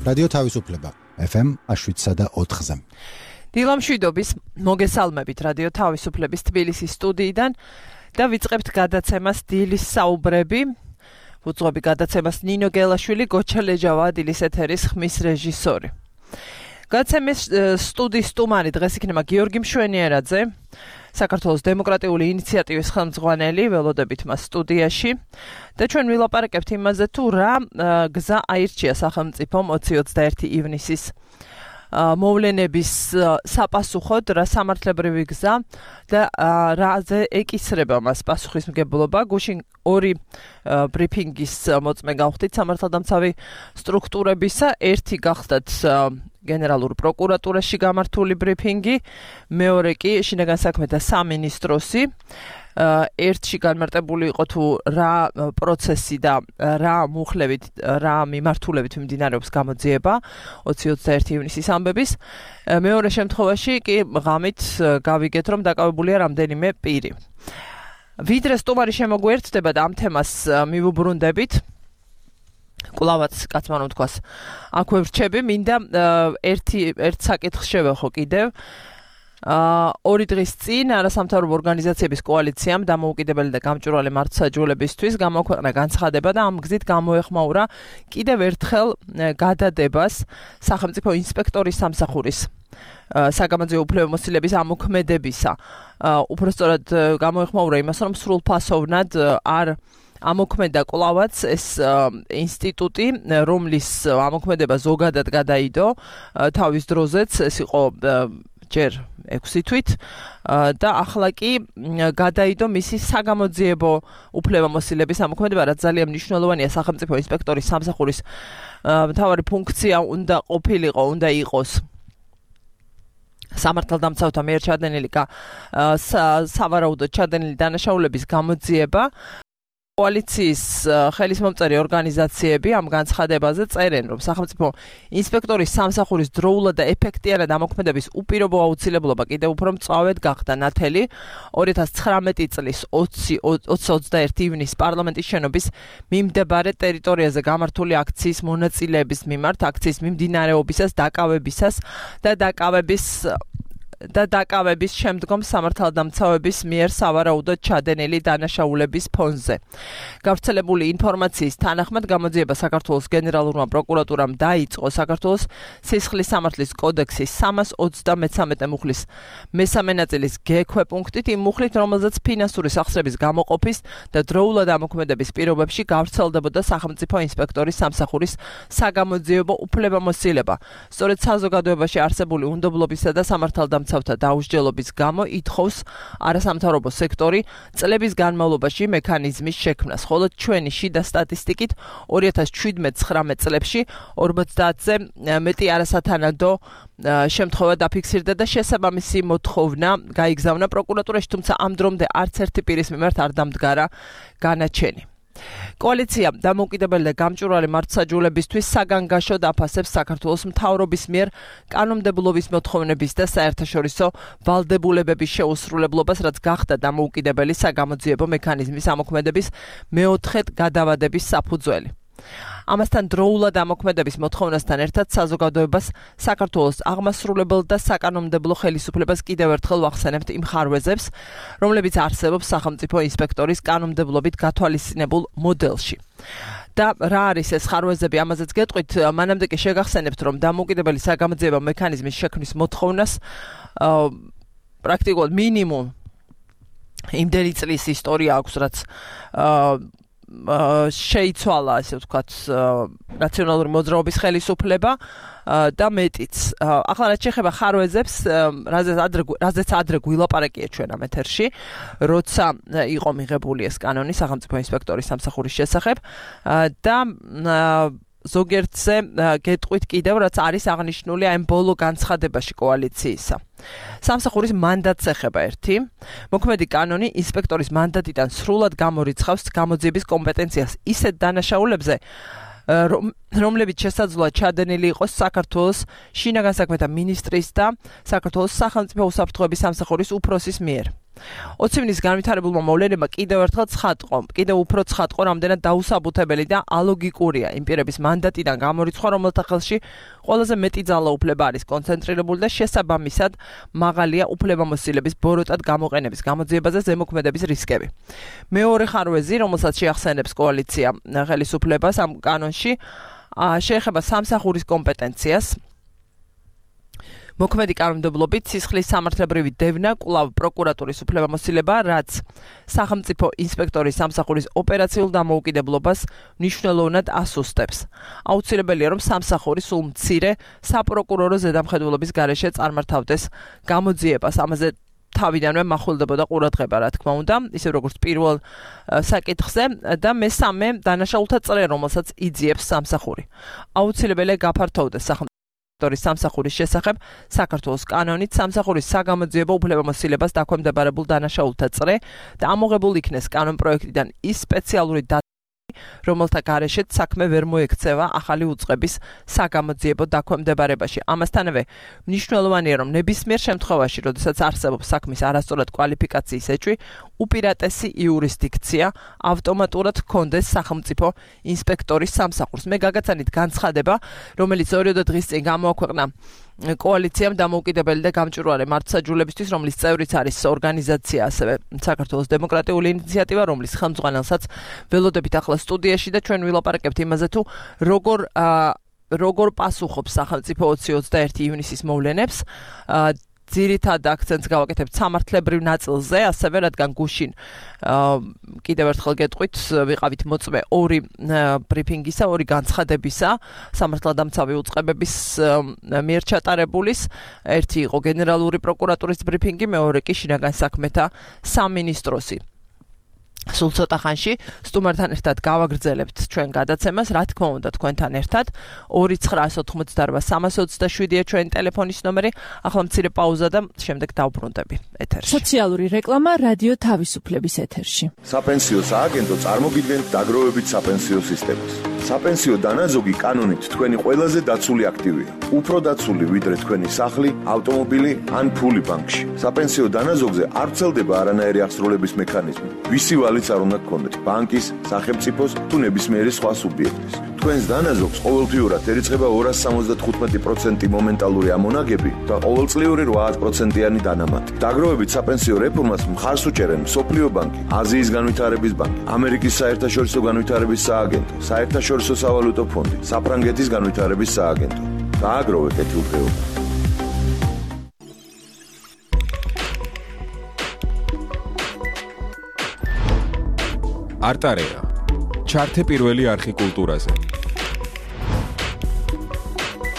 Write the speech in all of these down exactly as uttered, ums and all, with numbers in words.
რადიო თავისუფლება ეფ ემ შვიდსა და ოთხზე. დილამშვიდობის მოგესალმებით რადიო თავისუფლების თბილისის სტუდიიდან და ვიწყებთ გადაცემას დილის საუბრები. უძღვები გადაცემას ნინო გელაშვილი, გოჩა ლეჯავა, დილის ეთერის ხმის რეჟისორი. გადაცემის სტუდიის სტუმარი დღეს იქნება გიორგი მშვენიერაძე, საქართველოს დემოკრატიული ინიციატივის ხელმძღვანელი, ველოდებით მას სტუდიაში და ჩვენ ვილაპარაკებთ იმაზე თუ რა გზა აირჩია სახელმწიფომ ოცი ოცდაერთი ივნისის მოვლენების საპასუხოდ, რა სამართლებრივი გზა და რაზე ეკისრება მას პასუხისმგებლობა. გუშინ ორი ბრიფინგის მოწმე გავხდით სამართალდამცავი სტრუქტურებისა, ერთი გახდათ გენერალურ პროკურატურაში გამართული ბრიფინგი, მეორე კი შინაგან საქმეთა სამინისტროსი. ერთში განმარტებული იყო თუ რა პროცესი და რა მუხლებით, რა მიმართულებით მიმდინარეობს გამოძიება ოცი ოცდაერთი ივნისის ამბების. მეორე შემთხვევაში კი ღამით გავიგეთ, რომ დაკავებულია რამდენიმე პირი. ვიდრე სტუმარი შემოგვერთდება და ამ თემას მივუბრუნდებით, კვლავაც კაცმა რომ თქვას, აქვე ვრჩები, მინდა ერთი ერთ საკითხს შევეხო კიდევ. ორი დღის წინ არასამთავრობო ორგანიზაციების კოალიციამ დამოუკიდებელი და გამჭვირვალე მართლმსაჯულებისთვის გამოაქვეყნა განცხადება და ამ გზით გამოეხმაურა კიდევ ერთხელ გადადებას სახელმწიფო ინსპექტორის სამსახურის საგამოძიებო უფლებამოსილების ამოქმედებისა. უпростоრად გამოეხმაურა იმას, რომ სრულფასოვნად არ ამოქმედა კვლავაც ეს ინსტიტუტი, რომლის ამოქმედება ზოგადად გადაიდო თავის დროზეც, ეს იყო ჯერ ექვსი თვით და ახლა კი გადაიდო მისი საგამოძიებო უფლებამოსილების ამოქმედება, რაც ძალიან მნიშვნელოვანია სახელმწიფო ინსპექტორის სამსახურის მთავარი ფუნქცია უნდა ყოფილიყო, უნდა იყოს სამართალდამცავთა მიერ ჩადენილი სავარაუდოდ ჩადენილი დანაშაულების გამოძიება. კოალიციის ხელისმომწერი ორგანიზაციები ამ განცხადებაზე წერენ, რომ სახელმწიფო ინსპექტორის სამსახურის დროულად და ეფექტიანად ამოქმედების უპირობო აუცილებლობა კიდევ უფრო მწვავედ გახდა ნათელი ორი ათას ცხრამეტი წლის ოცი ოცდაერთი ივნისის პარლამენტის შენობის მიმდებარე ტერიტორიაზე გამართული აქციის მონაწილეების მიმართ, აქციის მიმდინარეობისას, დაკავებისას და დაკავების და დაკავების შემდგომ სამართალდამცავების მიერ სავარაუდოდ ჩადენილი დანაშაულების ფონზე. გავრცელებული ინფორმაციის თანახმად გამოძიება საქართველოს გენერალურმა პროკურატურამ დაიწყო საქართველოს სისხლის სამართლის კოდექსის სამას ოცდამეცამეტე მუხლის მესამე ნაწილის გექვე პუნქტით, იმ მუხლით, რომელზეც ფინანსური სახსრების გამოყოფის და დროულად ამოქმედების პირობებში გავრცელდებოდა სახელმწიფო ინსპექტორის სამსახურის საგამოძიებო უფლებამოსილება. სწორედ საზოგადოებაში არსებული უნდობლობისა და სამართალდამცავ სამართალდამცავთა დაუსჯელობის გამო ითხოვს არასამთავრობო სექტორი წლების განმავლობაში მექანიზმის შექმნას, ხოლო ჩვენი შიდა სტატისტიკით ორი ათას შვიდმეტ ცხრამეტ წლებში ორმოცდაათზე მეტი არასათანადო შემთხვევა დაფიქსირდა და შესაბამისი მოთხოვნა გაიგზავნა პროკურატურაში, თუმცა ამ დრომდე არც ერთი პირის მიმართ არ დამდგარა განაჩენი. კოალიცია დამოუკიდებელი და გამჭვირვალე მართლმსაჯულებისთვის საგანგაშოდ აფასებს საქართველოს მთავრობის მიერ კანონმდებლობის მოთხოვნების და საერთაშორისო ვალდებულებების შეუსრულებლობას, რაც გახდა დამოუკიდებელი საგამოძიებო მექანიზმის ამოქმედების მეოთხედ გადავადების საფუძველი. ამასთან დროულად ამოქმედების მოთხოვნასთან ერთად საზოგადოებას საქართველოს აღმასრულებელ და საკანონმდებლო ხელისუფლებას კიდევ ერთხელ ვახსენებთ იმ ხარვეზებს, რომლებიც არსებობს სახელმწიფო ინსპექტორის კანონმდებლობით გათვალისწინებულ მოდელში. და რა არის ეს ხარვეზები, ამაზეც გეტყვით, მანამდე კი შეგახსენებთ, რომ დამოუკიდებელი საგამოძიებო მექანიზმის შექმნის მოთხოვნას პრაქტიკულად მინიმუმ იმდენი წლის ისტორია აქვს, რაც შეიცვალა, ასე ვთქვათ, ნაციონალური მოძრაობის ხელისუფლება და მეტიც. ახლა რაც შეეხება ხარვეზებს, რაზეც ადრე გვილაპარაკია ჩვენ ამ ეთერში, როცა იყო მიღებული ეს კანონი სახელმწიფო ინსპექტორის სამსახურის შესახებ და ზოგიერთზე გეტყვით კიდევ, რაც არის აღნიშნული ამ ბოლო განცხადებაში კოალიციისა. სამსახურის მანდატს ეხება ერთი. მოქმედი კანონი ინსპექტორის მანდატიდან სრულად გამორიცხავს გამოძიების კომპეტენციას ისეთ დანაშაულებზე, რომლებიც შესაძლოა ჩადენილი იყოს საქართველოს შინაგან საქმეთა მინისტრის და საქართველოს სახელმწიფო უსაფრთხოების სამსახურის უფროსის მიერ. ოცივნის განვითარებულმა მოვლენებმა კიდევ ერთხელ ცხადყო, კიდევ უფრო ცხადყო, რამდენად დაუსაბუთებელი და ალოგიკურია იმ პირების მანდატიდან გამორიცხვა, რომელთა ხელში ყველაზე მეტი ძალაუფლება არის კონცენტრირებული და შესაბამისად მაღალია უფლებამოსილების ბოროტად გამოყენების გამოძიებაზე ზემოქმედების რისკები. მეორე ხარვეზი, რომელსაც შეახსენებს კოალიცია ხელისუფლებას ამ კანონში, შეეხება სამსახურის კომპეტენციას. მოქმედი კანონმდებლობით სისხლის სამართლებრივი დევნა კვლავ პროკურატურის უფლებამოსილება, რაც სახელმწიფო ინსპექტორის სამსახურის ოპერაციულ დამოუკიდებლობას მნიშვნელოვნად ასუსტებს. აუცილებელია, რომ სამსახური სულ მცირე საპროკურორო ზედამხედველობის გარეშე წარმართავდეს გამოძიებას. ამაზე თავიდანვე მახვილდებოდა ყურადღება, რა თქმა უნდა, ისე როგორც პირველ საკითხზე და მესამე დანაშაულთა წრე, რომელსაც იძიებს სამსახური. აუცილებელია გაფართოვდეს სახელმწიფო სამსახურის შესახებ საქართველოს კანონით სამსახურის საგამოძიებო უფლებამოსილებას დაქვემდებარებულ დანაშაულთა წრე და ამოღებულ იქნეს კანონპროექტიდან ის სპეციალური დატა, რომელთა გარეშეც საქმე ვერ მოექცევა ახალი უწყების საგამოძიებო დაქვემდებარებაში. ამასთანავე მნიშვნელოვანია, რომ ნებისმიერ შემთხვევაში, როდესაც არსებობს საქმის არასწორად კვალიფიკაციის ეჭვი, უპირატესი იურისდიქცია ავტომატურად ჰქონდეს სახელმწიფო ინსპექტორის სამსახურს. მე გაგაცანით განცხადება, რომელიც ორიოდე დღის წინ გამოაქვეყნა კოალიციამ დამოუკიდებელი და გამჭვირვალე მართლმსაჯულებისთვის, რომლის წევრიც არის ორგანიზაცია, ასევე საქართველოს დემოკრატიული ინიციატივა, რომლის ხელმძღვანელსაც ველოდებით ახლა სტუდიაში და ჩვენ ვილაპარაკებთ იმაზე, თუ როგორ როგორ პასუხობს სახელმწიფო ოცი ოცდაერთი ივნისის მოვლენებს. ძირითად აქცენტს გავაკეთებთ სამართლებრივ ნაწილზე, ასევე რადგან გუშინ კიდევ ერთხელ გეტყვით, ვიყავით მოწმე ორი ბრიფინგისა, ორი განცხადებისა სამართალდამცავი უწყებების მიერ ჩატარებულის. ერთი იყო გენერალური პროკურატურის ბრიფინგი, მეორე კი შინაგან საქმეთა სამინისტროსი. სულ ცოტა ხანში სტუმართან ერთად გავაგრძელებთ ჩვენ გადაცემას, რა თქმა უნდა თქვენთან ერთად. ორი ცხრა ოთხმოცდაორბა სამას ოცდაშვიდია ჩვენი ტელეფონის ნომერი. ახლა მცირე პაუზა და შემდეგ დავბრუნდები ეთერში. სოციალური რეკლამა რადიო თავისუფლების ეთერში. საპენსიო სააგენტო წარმოგიდგენთ დაგროვებით საპენსიო სისტემას. საპენსიო დანაზოგი კანონით თქვენი ყველაზე დაცული აქტივია. უფრო დაცული ვიდრე თქვენი სახლი, ავტომობილი ან ფული ბანკში. საპენსიო დანაზოგზე არ ვრცელდება არანაირი აღსრულების მექანიზმი. ვისი ვალიც არ უნდა გქონდეთ ბანკის, სახელმწიფოს თუ ნებისმიერი სხვა სუბიექტის. თქვენს დანაზოგს ყოველთვიურად ერიცხება ორას სამოცდათხუთმეტი პროცენტი მომენტალური ამონაგები და ყოველწლიური რვა პროცენტიანი დანამატი. დაგროვებით საპენსიო რეფორმას მხარს უჭერენ მსოფლიო ბანკი, აზიის განვითარების ბანკი, ამერიკის საერთაშორისო განვითარების სააგენტო, საერთაშორისო სავალუტო ფონდი, საფრანგეთის განვითარების სააგენტო. დააგროვეთ კეთილდღეობა. არტარეა. ჩართე პირველი არხი კულტურაზე.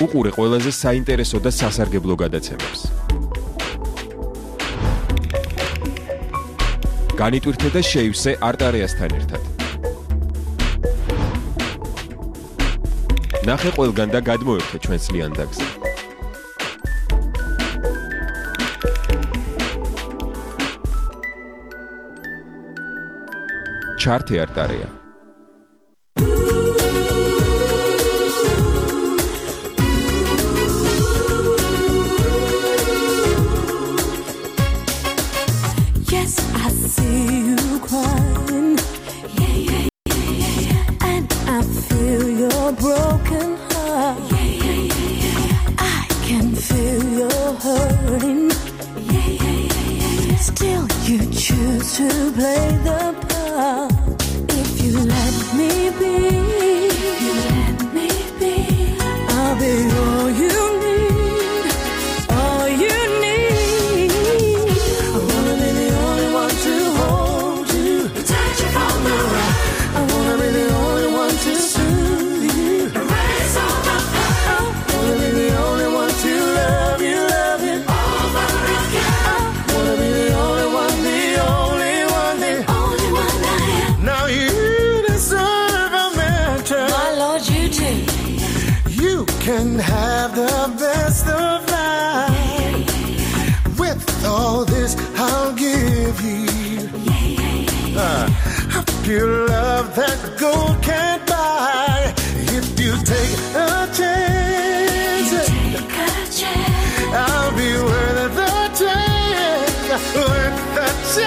უყურე ყველაზე საინტერესო და სასარგებლო გადაცემებს. განიტვირთე და შეივსე არტარეასთან ერთად. ნახე ყველგან და გადმოერთე ჩვენს ლიანდაგზე. ჩართე არტარეა. Yes, I see you crying. Yeah, yeah, yeah, yeah, yeah. And I feel your broken heart. Yeah, yeah, yeah, yeah, yeah. I can feel your hurting. Yeah, yeah, yeah, yeah, yeah. Still you choose to play the part. If you let me be, you let me be. I'll be all you need, all you need. I wanna be the only one to hold you, touch you from the right. I wanna be the only one to soothe you, erase all my pain. I wanna be the only one to love you, love you over again. I wanna be the only one, the only one, the only one I am. Now you deserve a mention. My Lord, you do. You can have the best of life. With all this, I'll give you uh, a pure love that gold can't buy. If you take a chance, you take a chance. I'll be worth the chance, worth the chance.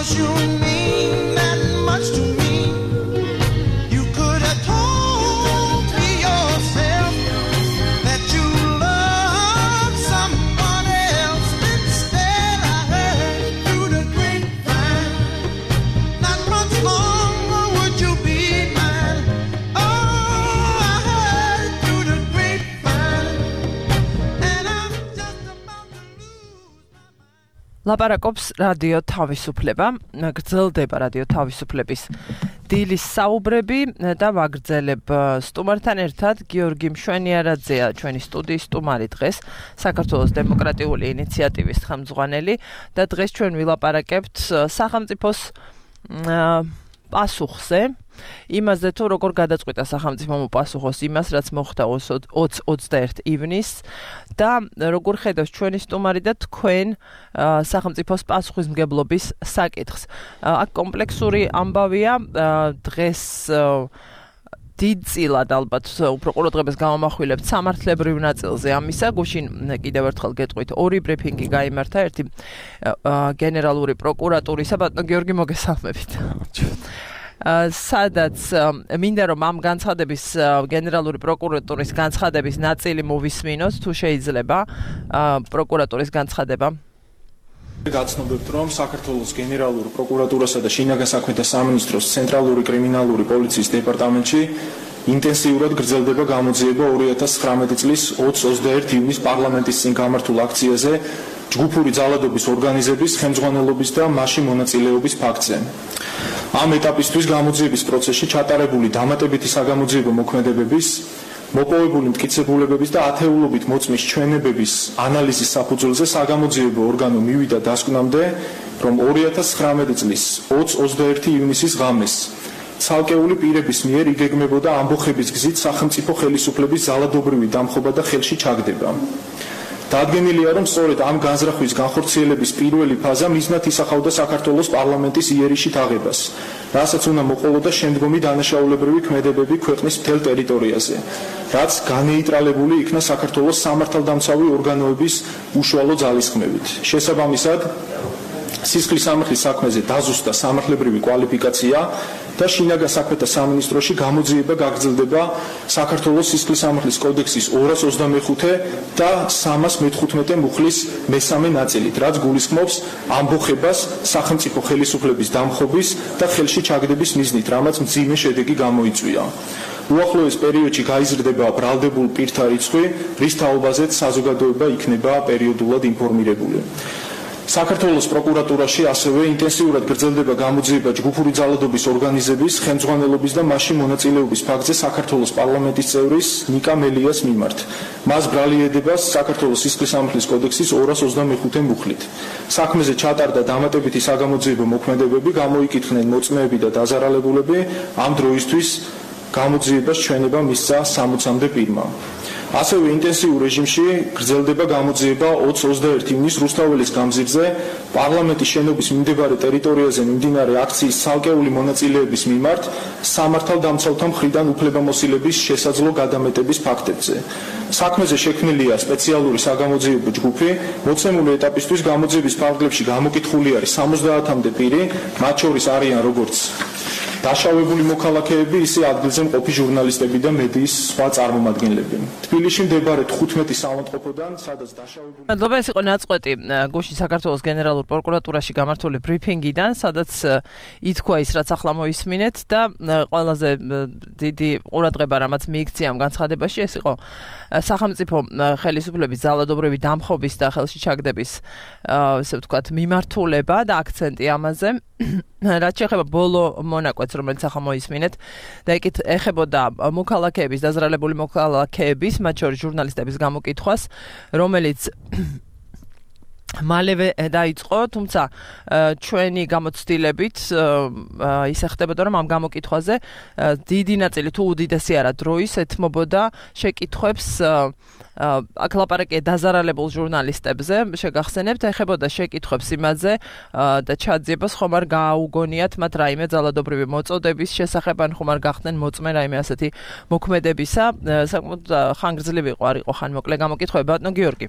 'cause you mean that much to me. You could have told me yourself that you love someone else. Instead, I heard it through the grapevine. Not much longer would you be mine. Oh, I heard it through the grapevine, and I'm just about to lose my mind. ლაპარაკობს რადიო თავისუფლება, გრძელდება რადიო თავისუფლების დილის საუბრები და ვაგრძელებ სტუმართან ერთად გიორგი მშვენიარაძეა ჩვენი სტუდიის სტუმარი დღეს, საქართველოს დემოკრატიული ინიციატივის ხელმძღვანელი და დღეს ჩვენ ვილაპარაკებთ სახელმწიფოს პასუხზე, იმაზე თუ როგორ გადაწყვიტა სახელმწიფომ უპასუხოს იმას, რაც მოხდა ოცდაერთი ივნისს და როგორ ხედავს ჩვენი სტუმარი და თქვენ სახელმწიფოს პასუხისმგებლობის საკითხს. აქ კომპლექსური ამბავია, დღეს დიდწილად ალბათ უფრო ყურადღებას გამომახვილებთ სამართლებრივ ნაწილზე ამისა. გუშინ კიდევ ერთხელ გეტყვით, ორი ბრიფინგი გაიმართა, ერთი გენერალური პროკურატურისა, ბატონო გიორგი მოგესალმებით. სადაც მინდა რომ ამ განცხადების გენერალური პროკურატურის განცხადების ნაწილი მოვისმინოთ, თუ შეიძლება პროკურატურის განცხადება. გაცნობებთ, რომ საქართველოს გენერალურ პროკურატურასა და შინაგან საქმეთა სამინისტროს ცენტრალური კრიმინალური პოლიციის დეპარტამენტში ინტენსიურად გრძელდება გამოძიება ორი ათას ცხრამეტი წლის ოცდაერთი ივნის პარლამენტის წინ გამართულ აქციაზე ჯგუფური ძალადობის ორგანიზების ხელმძღვანელობის და მასში მონაწილეობის ფაქტზე. ამ ეტაპისთვის გამოძიების პროცესში ჩატარებული დამატებითი საგამოძიებო მოქმედებების, მოპოვებული მტკიცებულებების და ათეულობით მოწმის ჩვენებების ანალიზის საფუძველზე საგამოძიებო ორგანო მივიდა დასკვნამდე, რომ ორი ათას ცხრამეტი წლის ოცდაერთი ივნისის ღამეს ცალკეული პირების მიერ იგეგმებოდა ამბოხების გზით სახელმწიფო ხელისუფლების ძალადობრივი დამხობა და ხელში ჩაგდება. დადგენილია, რომ სწორედ ამ განზრახვის განხორციელების პირველი ფაზა მიზნად ისახავდა საქართველოს პარლამენტის იერიშით აღებას, რასაც უნდა მოყოლოდა შემდგომი დანაშაულებრივი ქმედებები ქვეყნის მთელ ტერიტორიაზე, რაც განეიტრალებული იქნა საქართველოს სამართალდამცავი ორგანოების უშუალო ძალისხმევით. შესაბამისად, სისხლის სამართლის საქმეზე დაზუსტა სამართლებრივი კვალიფიკაცია და შინაგან საქმეთა სამინისტროში გამოძიება გაგრძელდება საქართველოს სისხლის სამართლის კოდექსის ორას ოცდამეხუთე და სამას მეთხუთმეტე მუხლის მესამე ნაწილით, რაც გულისხმობს ამბოხებას სახელმწიფო ხელისუფლების დამხობის და ხელში ჩაგდების მიზნით, რამაც მძიმე შედეგი გამოიწვია. უახლოეს პერიოდში გაიზრდება ბრალდებულ პირთა რიცხვი, რის თაობაზეც საზოგადოება იქნება პერიოდულად ინფორმირებული. საქართველოს პროკურატურაში ასევე ინტენსიურად გრძელდება გამოძიება ჯგუფური ძალადობის ორგანიზების ხელმძღვანელობის და მასში მონაწილეობის ფაქტზე საქართველოს პარლამენტის წევრის ნიკა მელიას მიმართ. მას ბრალი ედება საქართველოს სისხლის სამართლის კოდექსის ორას ოცდამეხუთე მუხლით. საქმეზე ჩატარდა დამატებითი საგამოძიებო მოქმედებები, გამოიკითხნენ მოწმეები და დაზარალებულები, ამ დროისთვის გამოძიებას ჩვენება მისცა სამოცამდე პირმა. ასევე ინტენსიურ რეჟიმში გრძელდება გამოძიება ოცდაერთი ივნის რუსთაველის გამზირზე პარლამენტის შენობის მიმდებარე ტერიტორიაზე მიმდინარე აქციის ცალკეული მონაწილეების მიმართ სამართალდამცავთა მხრიდან უფლებამოსილების შესაძლო გადამეტების ფაქტებზე. საქმეზე შექმნილია სპეციალური საგამოძიებო ჯგუფი, მოცემული ეტაპისთვის გამოძიების ფარგლებში გამოკითხული არის სამოცდაათამდე პირი, მათ შორის არიან როგორც დაშავებული მოქალაქეები, ისე ადგილზე მყოფი ჟურნალისტები და მედიის სხვა წარმომადგენლები. თბილისში მდებარე თხუთმეტი საავადმყოფოდან, სადაც დაშავებული მადლობა, ეს იყო ნაწყვეტი გუშინ საქართველოს გენერალურ პროკურატურაში გამართული ბრიფინგიდან, სადაც ითქვა ის, რაც ახლა მოისმინეთ და ყველაზე დიდი ყურადღება რამაც მიიქცია ამ განცხადებაში, ეს იყო სახელმწიფო ხელისუფლების ძალადობრივი დამხობის და ხელში ჩაგდების, ესე ვთქვათ, მიმართულება და აქცენტი ამაზე. რაც შეეხება ბოლო მონაკვეთს, რომელიც ახლა მოისმინეთ და ეკით ეხებოდა მოქალაქეების, დაზრალებული მოქალაქეების, მათ შორის ჟურნალისტების გამოკითხვას, რომელიც მალევე დაიწყო, თუმცა ჩვენი გამოცდილებით ისე ხდებოდა, რომ ამ გამოკითხვაზე დიდი ნაწილი თუ უდიდესი არა დროის ეთმობოდა შეკითხვებს აქ ლაპარაკია დაზარალებულ ჟურნალისტებზე, შეგახსენებთ, ეხებოდა შეკითხვებს იმაზე და ჩაძიებას ხომ არ გააუგონიათ მათ რაიმე ძალადობრივი მოწოდების შესახებ, ან ხომ არ გახდნენ მოწმე რაიმე ასეთი მოქმედებისა. საკმაოდ ხანგრძლივი იყო, არ იყო ხან მოკლე გამოკითხვები, ბატონო გიორგი.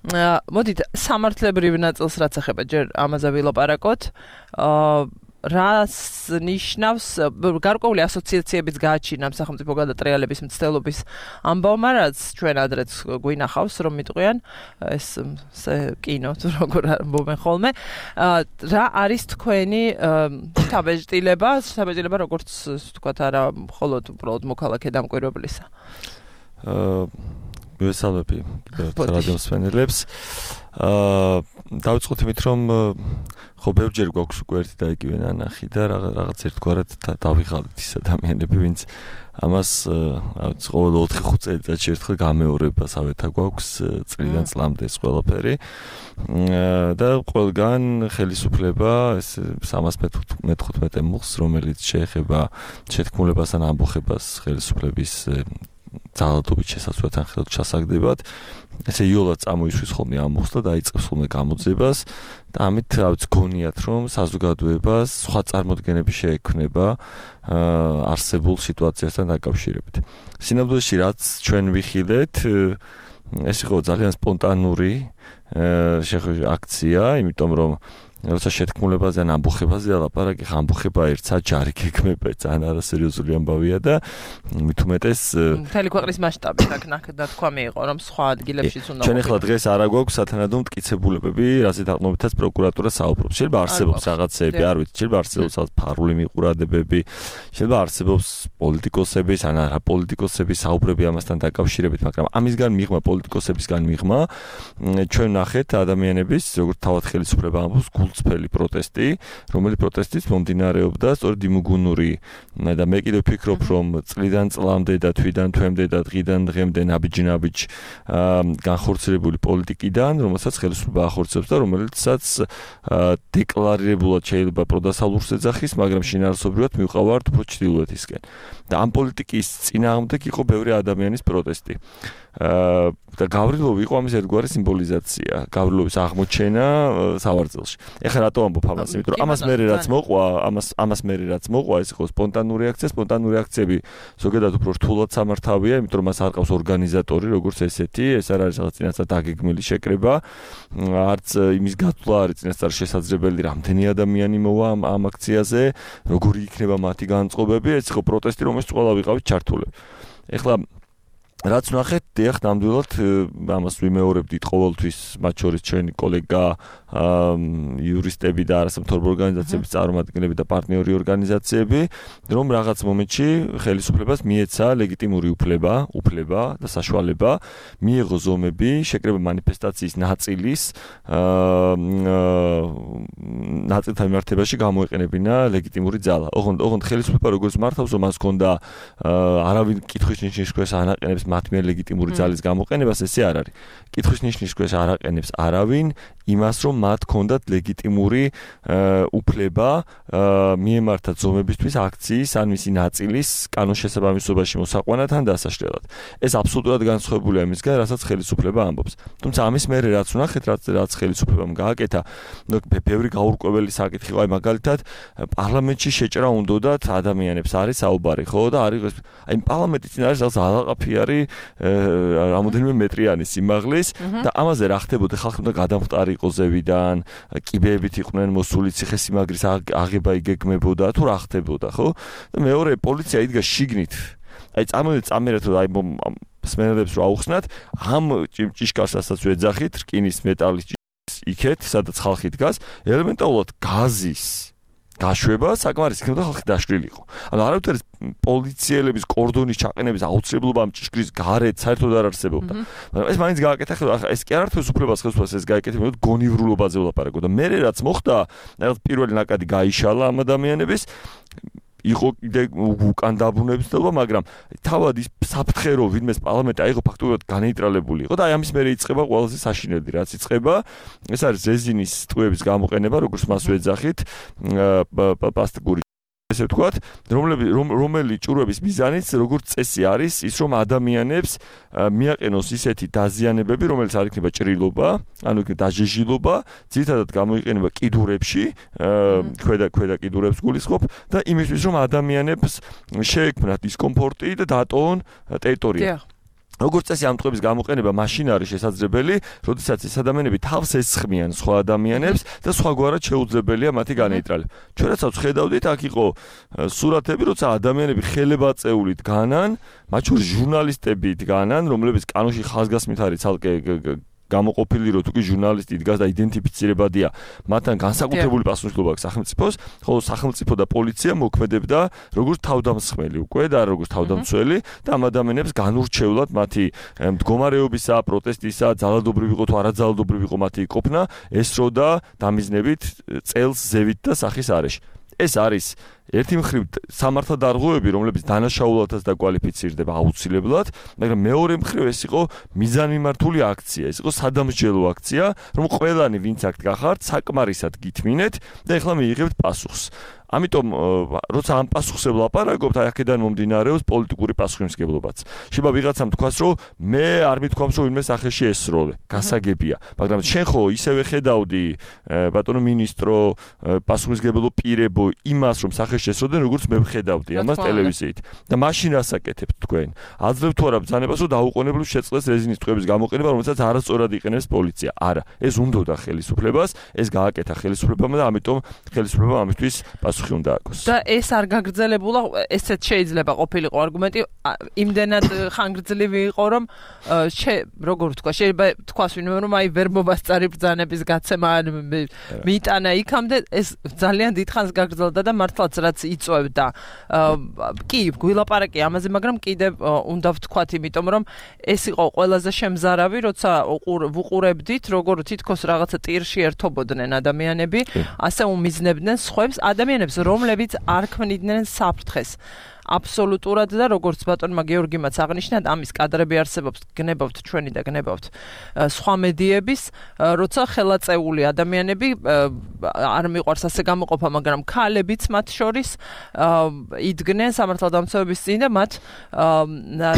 მოდით სამართლებრივ ნაწილს რაც ეხება ჯერ ამაზე ვილაპარაკოთ. რას ნიშნავს გარკვეული ასოციაციებიც გააჩინა სახელმწიფო გადატრიალების მცდელობის ამბავმა, რაც ჩვენ ადრეც გვინახავს, რომ მიტყვიან ეს კინო თუ როგორ ამბობენ ხოლმე. რა არის თქვენი შთაბეჭდილება, შთაბეჭდილება როგორც თქვათ არა მხოლოდ უბრალოდ მოქალაქე დამკვირვებლისა? აა მივესალმები რადიო მსმენელებს. აა დავიწყოთ იმით, რომ ხო ბევრჯერ გვაქვს უკვე ერთი და იგივე ნანახი და რაღაც ერთგვარად დავიღალეთ ის ადამიანები, ვინც ამას რაღაც ყოველ ოთხი ხუთ წელიწადში ერთხელ გამეორებასავეთა გვაქვს წლიდან წლამდე ეს ყველაფერი. და ყველგან ხელისუფლება ეს სამას მეთერთმეტე მუხლს, რომელიც შეეხება შეთქმულებასთან ამბოხებას ხელისუფლების ძალადობით შესაძლოა ხელთ ჩასაგდებად. ესე იოლად წამოისვის ხოლმე ამ მუხლს და დაიწყებს ხოლმე გამოძებას და ამით რაც გონიათ, რომ საზოგადოებას სხვა წარმოდგენები შეექმნება არსებულ სიტუაციასთან დაკავშირებით. სინამდვილეში რაც ჩვენ ვიხილეთ, ეს იყო ძალიან სპონტანური აქცია, იმიტომ რომ როცა შეთქმულებაზე ან ამბოხებაზე ლაპარაკი, ხა ამბოხება ერთსა ჯარი გეგმება, ძალიან არასერიოზული ამბავია და მით უმეტეს მთელი ქვეყნის მასშტაბით აქ თქვა მიიღო, რომ სხვა ადგილებშიც უნდა. ჩვენ ახლა დღეს არა გვაქვს სათანადო მტკიცებულებები, რასაც დაყნობითაც პროკურატურა საუბრობს. შეიძლება არსებობს რაღაცეები, არ ვიცი, შეიძლება არსებობს ფარული მიყურადებები, შეიძლება არსებობს პოლიტიკოსების ან არა პოლიტიკოსების საუბრები ამასთან დაკავშირებით, მაგრამ ამისგან მიღმა პოლიტიკოსებისგან მიღმა ჩვენ ნახეთ ადამიანების, როგორც თავად ხელისუფლება ამბობს, გულწრფელი პროტესტი, რომელიც პროტესტიც მომდინარეობდა სწორედ იმუგუნური და მე კიდევ ვფიქრობ, რომ წლიდან წლამდე და თვიდან თვემდე და დღიდან დღემდე ნაბიჯ-ნაბიჯ განხორციელებული პოლიტიკიდან, რომელსაც ხელისუფლება ახორციელებს და რომელიცაც დეკლარირებულად შეიძლება პროდასალურს ეძახის, მაგრამ შინაარსობრივად მივყავართ უფრო ჩრდილოეთისკენ. და ამ პოლიტიკის წინააღმდეგ იყო ბევრი ადამიანის პროტესტი. და გავრილოვი იყო ამის ერთგვარი სიმბოლიზაცია, გავრილოვის აღმოჩენა სავარძელში. ეხლა რატო ამბობ ამას? იმიტომ რომ ამას მერე რაც მოყვა, ამას ამას მერე რაც მოყვა, ეს იყო სპონტანური აქცია, სპონტანური აქციები ზოგადად უფრო რთულად სამართავია, იმიტომ რომ მას არ ყავს ორგანიზატორი, როგორც ესეთი, ეს არ არის რაღაც წინასწარ დაგეგმილი შეკრება, არც იმის გათვლა არის წინასწარ შესაძლებელი, რამდენი ადამიანი მოვა ამ აქციაზე, როგორი იქნება მათი განწყობები, ეს იყო პროტესტი, რომელშიც ყველა ვიყავით ჩართულები. ეხლა რაც ნახეთ, დიახ, ნამდვილად ამას ვიმეორებდით ყოველთვის, მათ შორის ჩვენი კოლეგა, იურისტები და არასამთავრობო ორგანიზაციების წარმომადგენლები და პარტნიორი ორგანიზაციები, რომ რაღაც მომენტში ხელისუფლებას მიეცა ლეგიტიმური უფლება, უფლება და საშუალება მიიღო ზომები, შეკრება მანიფესტაციის ნაწილის ნაწილთა მიმართებაში გამოეყენებინა ლეგიტიმური ძალა. ოღონდ ოღონდ ხელისუფლება როგორც მართავს, რომ მას ჰქონდა არავინ კითხვის ნიშნის ქვეშ ანაყენებს მათ მიერ ლეგიტიმური ძალის გამოყენებას, ესე არ არის. კითხვის ნიშნის ქვეშ არ აყენებს არავინ იმას, რომ მათ ჰქონდათ ლეგიტიმური უფლება მიემართათ ზომებისთვის აქციის ან მისი ნაწილის კანონშესაბამისობაში მოსაყვანად ან დასაშლელად. ეს აბსოლუტურად განსხვავებულია იმისგან, რასაც ხელისუფლება ამბობს. თუმცა ამის მერე რაც ვნახეთ, რაც რაც ხელისუფლებამ გააკეთა, ბევრი გაურკვეველი საკითხი იყო, აი მაგალითად, პარლამენტში შეჭრა უნდათ ადამიანებს არის საუბარი, ხო და არის აი პარლამენტის წინ არის რაღაც ალაყაფიარი რამოდენიმე მეტრიანი სიმაღლის და ამაზე რა ხდებოდა, ხალხი უნდა გადამხტარი იყო ზევიდან, კიბეებით იყვნენ მოსული, ციხესიმაგრის აღება იგეგმებოდა, თუ რა ხდებოდა, ხო? და მეორე პოლიცია იდგა შიგნით. აი წამოვიდა წამერეთ, აი სმენელებს რო აუხსნათ, ამ ჭიშკარსაც ვეძახით, რკინის მეტალის იქეთ, სადაც ხალხი დგას, ელემენტარულად გაზის გაშვება საკმარისი იქნებოდა ხალხი დაშლილიყო. ანუ არავითარი პოლიციელების კორდონის ჩაყენების აუცილებლობა ამ ჭიშკრის გარეთ საერთოდ არ არსებობდა. მაგრამ ეს მაინც გააკეთა, ეს კი არ არის უფლებას ხელისუფლებას ეს გააკეთა, მე გონივრულობაზე ვლაპარაკო და მე რაც მოხდა, რაღაც პირველი ნაკადი გაიშალა ამ ადამიანების იყო კიდე უკან დაბრუნებისობა, მაგრამ თავად ის საფრთხე რომ ვინმეს პარლამენტი აიღო ფაქტობრივად განეიტრალებული იყო და აი ამის მერე იწყება ყველაზე საშინელი რაც იწყება, ეს არის რეზინის ტყუების გამოყენება, როგორც მას ვეძახით, პლასტიკური ესე ვთქვათ, რომელი ჭურვების მიზანიც როგორც წესი არის ის, რომ ადამიანებს მიაყენოს ისეთი დაზიანებები, რომელიც არ იქნება ჭრილობა, ანუ იქნება დაჟეჟილობა, ძირითადად გამოიყენება კიდურებში, ქვედა ქვედა კიდურებს გულისხმობ და იმისთვის, რომ ადამიანებს შეექმნათ დისკომფორტი და დატოვონ ტერიტორია. როგორც წესი ამ ტყუების გამოყენება მაშინ არის შესაძლებელი, როდესაც ეს ადამიანები თავს ესხმიან სხვა ადამიანებს და სხვაგვარად შეუძლებელია მათი განეიტრალება. ჩვენ რასაც ხედავდით, აქ იყო სურათები, როცა ადამიანები ხელებაწეული დგანან, მათ შორის ჟურნალისტები დგანან, რომლებიც კანონში ხაზგასმით არის ცალკე გამოყოფილი, რომ თუკი ჟურნალისტი დგას და იდენტიფიცირებადია, მათთან განსაკუთრებული პასუხისმგებლობა აქვს სახელმწიფოს, ხოლო სახელმწიფო და პოლიცია მოქმედებდა როგორც თავდამსხმელი უკვე და როგორც თავდამცველი და ამ ადამიანებს განურჩევლად მათი მდგომარეობისა, პროტესტისა, ძალადობრივი იყო თუ არაძალადობრივი იყო მათი ყოფნა, ესროდა დამიზნებით წელს ზევით და სახის არეში. ეს არის ერთი მხრივ სამართალდარღვევები, რომლებიც დანაშაულათაც დაკვალიფიცირდება აუცილებლად, მაგრამ მეორე მხრივ ეს იყო მიზანმიმართული აქცია, ეს იყო სადამსჯელო აქცია, რომ ყველანი ვინც აქ გახართ, საკმარისად გითმინეთ და ეხლა მიიღებთ პასუხს. ამიტომ როცა ამ პასუხს ვლაპარაკობთ, აქედან მომდინარეობს პოლიტიკური პასუხისმგებლობაც. შეიძლება ვიღაცამ თქვას, რომ მე არ მithქვამს, რომ ვინმე სახეში ესროლე, გასაგებია, მაგრამ შენ ხო ისევე ხედავდი ბატონო მინისტრო, პასუხისმგებლო პირებო იმას, რომ სახეში შესროდნენ, როგორც მე ვხედავდი ამას ტელევიზიით. და მაშინ ასაკეთებთ თქვენ. აძლევთ თუ არა ბრძანებას, რომ დაუყოვნებლივ შეწყდეს რეზინის ტყუების გამოყენება, რომელსაც არასწორად იყენებს პოლიცია. არა, ეს უნდოდა ხელისუფლებას, ეს გააკეთა ხელისუფლებამ და ამიტომ ხელისუფლებამ ამისთვის პასუხი უნდა აქვს. და ეს არ გაგრძელებულა, ესეც შეიძლება ყოფილიყო არგუმენტი, იმდენად ხანგრძლივი იყო, რომ როგორ ვთქვა, შეიძლება თქვას ვინმე, რომ აი ვერ მოვასწარი ბრძანების გაცემა მიიტანა იქამდე, ეს ძალიან დიდხანს გაგრძელდა და მართლაც რაც იწვევდა. კი, გვილაპარაკე ამაზე, მაგრამ კიდევ უნდა ვთქვათ, იმიტომ რომ ეს იყო ყველაზე შემზარავი, როცა ვუყურებდით, როგორ თითქოს რაღაცა ტირში ერთობოდნენ ადამიანები, ასე უმიზნებდნენ სხვებს, ადამიანებს, რომლებიც არ ქმნიდნენ საფრთხეს. აბსოლუტურად და როგორც ბატონმა გეორგიმაც აღნიშნა, ამის კადრები არსებობს, გნებავთ ჩვენი და გნებავთ სხვა მედიების, როცა ხელაწეული ადამიანები არ მიყვარს ასე გამოყოფა, მაგრამ ქალებიც მათ შორის იდგნენ სამართალდამცავების წინ და მათ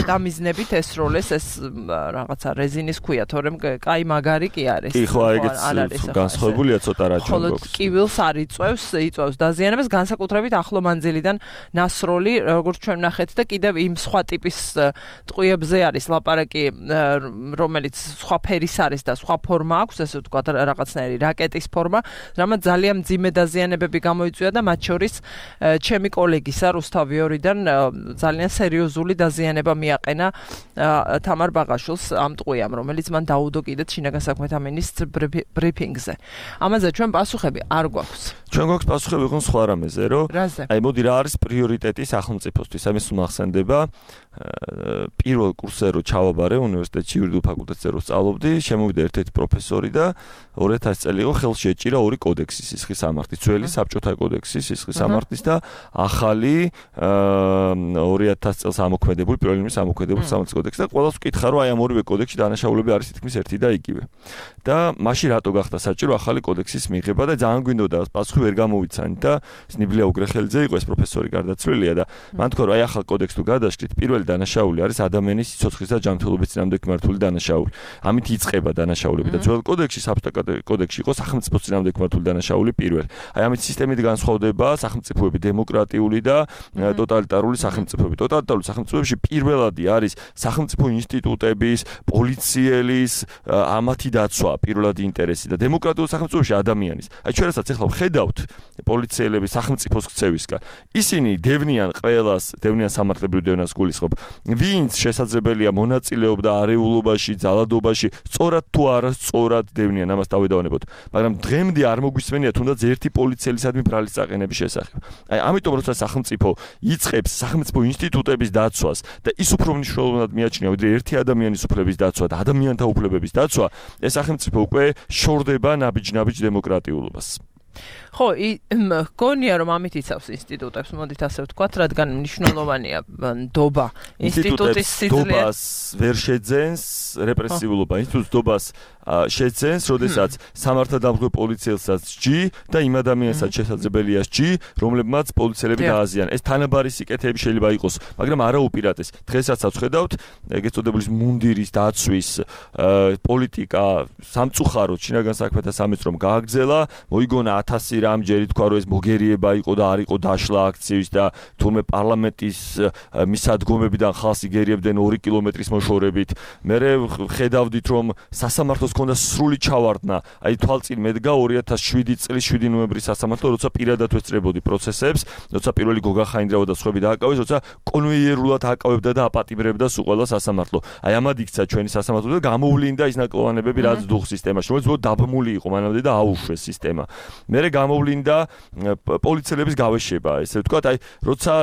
დამიზნებით ესროლეს ეს რაღაცა რეზინის ქვია, თორემ კაი მაგარი კი არის. კი, ხო, ეგეც განსხვავებულია ცოტა რა ჩვენ გვაქვს. ხოლო კივილს არ იწვევს, იწვევს დაზიანებას, განსაკუთრებით ახლო მანძილიდან ნასროლი, როგორც ჩვენ ნახეთ და კიდევ იმ სხვა ტიპის ტყუებზე არის ლაპარაკი, რომელიც სხვა ფერის არის და სხვა ფორმა აქვს, ესე ვთქვათ, რაღაცნაირი რაკეტის ფორმა, რამაც ძალიან მძიმე დაზიანებები გამოიწვია და მათ შორის ჩემი კოლეგისა რუსთავ ვიორიდან ძალიან სერიოზული დაზიანება მიაყენა თამარ ბაღაშვილს ამ ტყუიამ, რომელიც მან დაუდო კიდეც შინაგან საქმეთა მინისტრ ბრიფინგზე. ამაზე ჩვენ პასუხები არ გვაქვს. ჩვენ გვაქვს პასუხები ხო სხვა რამეზე, რომ აი მოდი რა არის პრიორიტეტი სახელმწიფოსთვის. ამის უმახსენდება პირველ კურსზე რო ჩავაბარე უნივერსიტეტში იურიდიულ ფაკულტეტზე რო სწავლობდი, შემოვიდა ერთ-ერთი პროფესორი და ორი ათასი წელი იყო ხელში ეჭირა ორი კოდექსი სისხლის სამართლის, ძველი საბჭოთა კოდექსი სისხლის სამართლის და ახალი ორი ათასი წელს ამოქმედებული პირველი ამოქმედებული სამართლის კოდექსი და ყველას ვკითხა, რომ აი ამ ორივე კოდექსში დანაშაულები არის თითქმის ერთი და იგივე. და მაშინ რატო გახდა საჭირო ახალი კოდექსის მიღება და ძალიან გვინდოდა პასუხი ვერ გამოვიცანით და ნიბლია უგრეხელიძე იყო ეს პროფესორი გარდაცვლილია და მან თქვა, რომ აი ახალ კოდექსს თუ გადაშლით, პირველი დანაშაული არის ადამიანის სიცოცხლის და ჯანმრთელობის წინააღმდეგ მიმართული დანაშაული. ამით იწყება დანაშაულები და ძველ კოდექსში, საბჭოთა კოდექსში იყო სახელმწიფოს წინააღმდეგ მიმართული დანაშაული პირველი. აი ამით სისტემით განსხვავდება სახელმწიფოები დემოკრატიული და ტოტალიტარული სახელმწიფოები. ტოტალიტარული სახელმწიფოებში პირველადი არის სახელმწიფო ინსტიტუტების, პოლიციელის, ამათი დაცვა, პირველადი ინტერესი და დემოკრატიულ სახელმწიფოში ადამიანის. აი ჩვენ რასაც ახლა ვხედავთ პოლიციელების სახელმწიფოს ქცევისგან, ისინი დევნიან ყველას, დევნიან სამართლებრივ დევნას გულისხმობ. ვინც შესაძლებელია მონაწილეობდა არეულობაში, ძალადობაში, სწორად თუ არა სწორად დევნიან, ამას დავედავანებოთ. მაგრამ დღემდე არ მოგვისმენია თუნდაც ერთი პოლიციელისადმი ბრალის წაყენების შესახებ. აი ამიტომ როცა სახელმწიფო იწყებს სახელმწიფო ინსტიტუტების დაცვას და ის უფრო მნიშვნელოვნად მიაჩნია, ვიდრე ერთი ადამიანის უფლების დაცვა და ადამიანთა უფლებების დაცვა, ეს სახელმწიფო უკვე შორდება ნაბიჯ-ნაბიჯ დემოკრატიულობას. ხო, გონია რომ ამით იცავს ინსტიტუტებს, მოდით ასე ვთქვათ, რადგან მნიშვნელოვანია ნდობა. ინსტიტუტის სიძლიერე ნდობას ვერ შეძენს რეპრესიულობა. ინსტიტუტს ნდობას შეცენს, როდესაც სამართალდამცავ პოლიციელსაც სჯი და იმ ადამიანსაც შესაძლებელია სჯი, რომლებმაც პოლიციელები დააზიანა. ეს თანაბარი სიკეთეები შეიძლება იყოს, მაგრამ არა უპირატეს. დღესაც ხედავთ ეგეთ წოდებული მუნდირის დაცვის პოლიტიკა სამწუხაროდ შინაგან საქმეთა სამინისტრომ გააგრძელა, მოიგონა ათასი რამჯერი თქვა რომ ეს მოგერიება იყო და არ იყო დაშლა აქციის და თურმე პარლამენტის მისადგომებიდან ხალხს იგერიებდნენ ორი კილომეტრის მოშორებით. მე ხედავდით რომ სასამართლოს ჰქონდა სრული ჩავარდნა, აი თვალწინ მედგა ორი ათას შვიდი წლის შვიდი ნოემბრის სასამართლო, როცა პირადად ვესწრებოდი პროცესებს, როცა პირველი გოგა ხაინდრავა და სხვები დააკავეს, როცა კონვეიერულად აკავებდა და აპატიმრებდა სულ ყველა სასამართლო. აი ამად იქცა ჩვენი სასამართლო და გამოვლინდა ის ნაკლოვანებები, რაც დუხ სისტემაში, რომელიც ბოლოს დაბმული იყო მანამდე და აუშვეს სისტემა. მერე გამოვლინდა პოლიციელების გავეშება, ესე ვთქვათ, აი როცა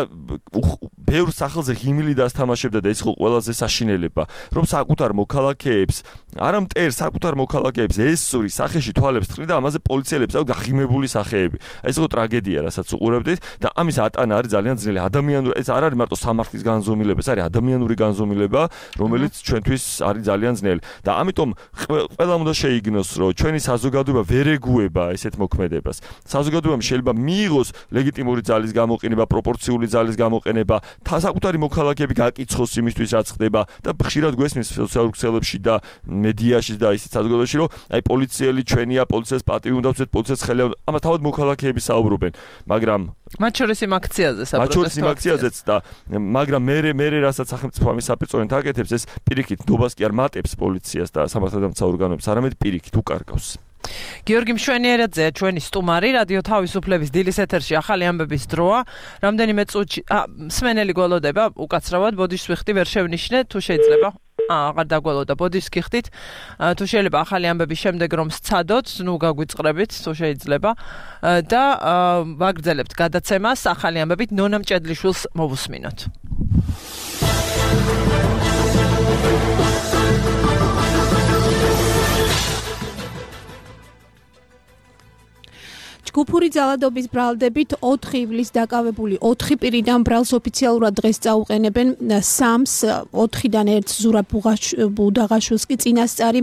ბევრ სახელზე ღიმილი დასთამაშებდა და ეს იყო ყველაზე საშინელება, რომ საკუთარ მოქალაქეებს, არა მტერ საკუთარ მოქალაქეებს ესური სახეში თვალებს თხრიდა, ამაზე პოლიციელებს აქვს გაღიმებული სახეები. ეს იყო ტრაგედია, რასაც უყურებდით და ამის ატანა არის ძალიან ძნელი. ადამიანური ეს არ არის მარტო სამართლის განზომილება, ეს არის ადამიანური განზომილება, რომელიც ჩვენთვის არის ძალიან ძნელი. და ამიტომ ყველამ უნდა შეიგნოს, რომ ჩვენი საზოგადოება ვერ ეგუება ესეთ მოქმედებას. საზოგადოებამ შეიძლება მიიღოს ლეგიტიმური ძალის გამოყენება, პროპორციული ძალის გამოყენება, საკუთარი მოქალაქეები გაკიცხოს იმისთვის, რაც ხდება და ხშირად გვესმის სოციალურ ქსელებში და მედიაში და ისეთ საზოგადოებაში, რომ აი პოლიციელი ჩვენია, პოლიციას პატივი უნდა ვცეთ, პოლიციას ხელი უნდა. ამას თავად მოქალაქეები საუბრობენ, მაგრამ მათ შორის იმ აქციაზე საპროტესტო აქციაზეც და მაგრამ მე მე რასაც სახელმწიფო ამის საპირწონედ აკეთებს, ეს პირიქით ნდობას კი არ მატებს პოლიციას და სამართალდამცავ ორგანოებს, არამედ პირიქით უკარგავს. გიორგი მშვენიერაძეა ჩვენი სტუმარი, რადიო თავისუფლების დილის ეთერში ახალი ამბების დროა. რამდენიმე წუთში მსმენელი გველოდება უკაცრავად, ბოდიშს ვიხდი, ვერ შევნიშნე, თუ შეიძლება აღარ დაგველოდა, ბოდიშს გიხდით, თუ შეიძლება ახალი ამბების შემდეგ რომ სცადოთ, ნუ გაგვიწყრებით, თუ შეიძლება და ვაგრძელებთ გადაცემას ახალი ამბებით, ნონა მჭედლიშვილს მოვუსმინოთ. ჯგუფური ძალადობის ბრალდებით ოთხი ივლისს დაკავებული ოთხი პირიდან ბრალს ოფიციალურად დღეს წაუყენებენ სამს, ოთხიდან ერთს ზურაბ ბუდაღაშვილს კი წინასწარი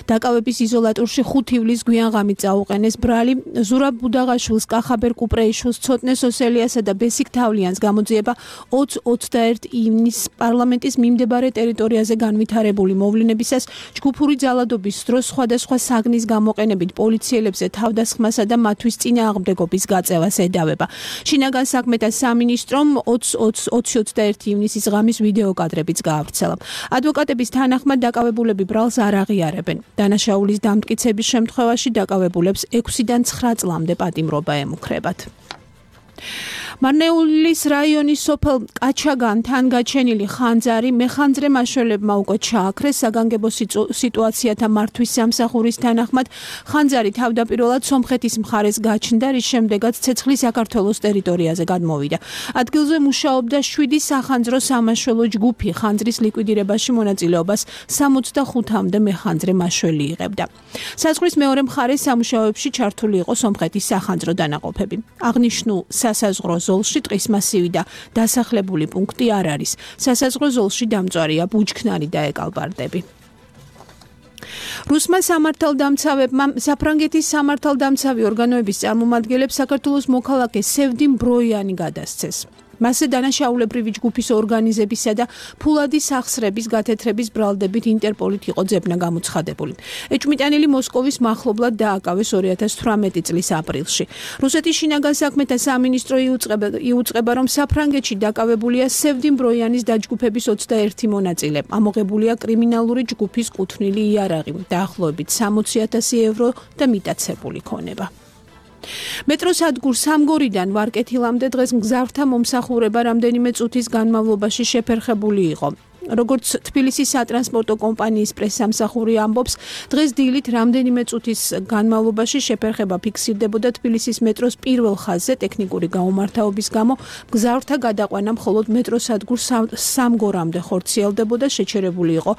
დაკავების იზოლატორში ხუთი ივლისს გვიანღამით წაუყენეს ბრალი. ზურაბ ბუდაღაშვილს, კახაბერ კუპრეიშვილს, ცოტნე სოსელიასა და ბესიკ თავლიანს გამოძიება ოცი ოცდაერთი ივნისს პარლამენტის მიმდებარე ტერიტორიაზე განვითარებული მოვლენებისას ჯგუფური ძალადობის დროს სხვადასხვა საგნის გამოყენებით პოლიციელებზე თავდასხმასა და მათთვის წინააღმდეგობის გაწევას ედავება. შინაგან საქმეთა სამინისტრომ ოცი ოცდაერთი ივნისის ღამის ვიდეო კადრებიც გაავრცელა. ადვოკატების თანახმად დაკავებულები ბრალს არ აღიარებენ. დანაშაულის დამტკიცების შემთხვევაში დაკავებულებს ექვსიდან ცხრა წლამდე პატიმრობა ემუქრებათ. მარნეულის რაიონის სოფელ კაჩაგანთან გაჩენილი ხანძარი მეხანძრე მაშველებმა უკვე ჩააქრეს. საგანგებო სიტუაციათა მართვის სამსახურის თანახმად ხანძარი თავდაპირველად სომხეთის მხარეს გაჩნდა, რის შემდეგაც ცეცხლი საქართველოს ტერიტორიაზე გადმოვიდა. ადგილზე მუშაობდა შვიდი სახანძრო სამაშველო ჯგუფი. ხანძრის ლიკვიდირებაში მონაწილეობას სამოცდახუთამდე მეხანძრე მაშველი იღებდა. საზღვრის მეორე მხარეს სამუშაოებში ჩართული იყო სომხეთის სახანძრო დანაყოფები. აღნიშნულ სასაზღვრო ზოლში ტყის მასივი და დასახლებული პუნქტი არ არის. სასაზღვრო ზოლში დამწვარია ბუჩქნარი და ეკალბარდები. რუსმა სამართალდამცავებმა საფრანგეთის სამართალდამცავი ორგანოების წარმომადგენლებს საქართველოს მოქალაქე სევდიმ ბროიანი გადასცეს. მასზე დანაშაულებრივი ჯგუფის ორგანიზებისა და ფულადის სახსრების გათეთრების ბრალდებით ინტერპოლით იყო ძებნა გამოცხადებული. ეჭვმიტანილი მოსკოვის მახლობლად დააკავეს ორი ათას თვრამეტი წლის აპრილში. რუსეთის შინაგან საქმეთა სამინისტრო იუწყება, რომ საფრანგეთში დაკავებულია სევდიმ ბროიანის დაჯგუფების ოცდაერთი მონაწილე. ამოღებულია კრიმინალური ჯგუფის კუთვნილი იარაღი, დაახლოებით სამოცი ათასი ევრო და მიტაცებული ქონება. მეტროსადგურ სამგორიდან ვარკეთილამდე დღეს მგზავრთა მომსახურება რამდენიმე წუთის განმავლობაში შეფერხებული იყო. როგორც თბილისის სატრანსპორტო კომპანიის პრესსამსახური ამბობს, დღეს დილით რამდენიმე წუთის განმავლობაში შეფერხება ფიქსირდებოდა თბილისის მეტროს პირველ ხაზზე ტექნიკური გაუმართავობის გამო. მგზავრთა გადაყვანა მხოლოდ მეტროსადგურ სამგორამდე ხორციელდებოდა, შეჩერებული იყო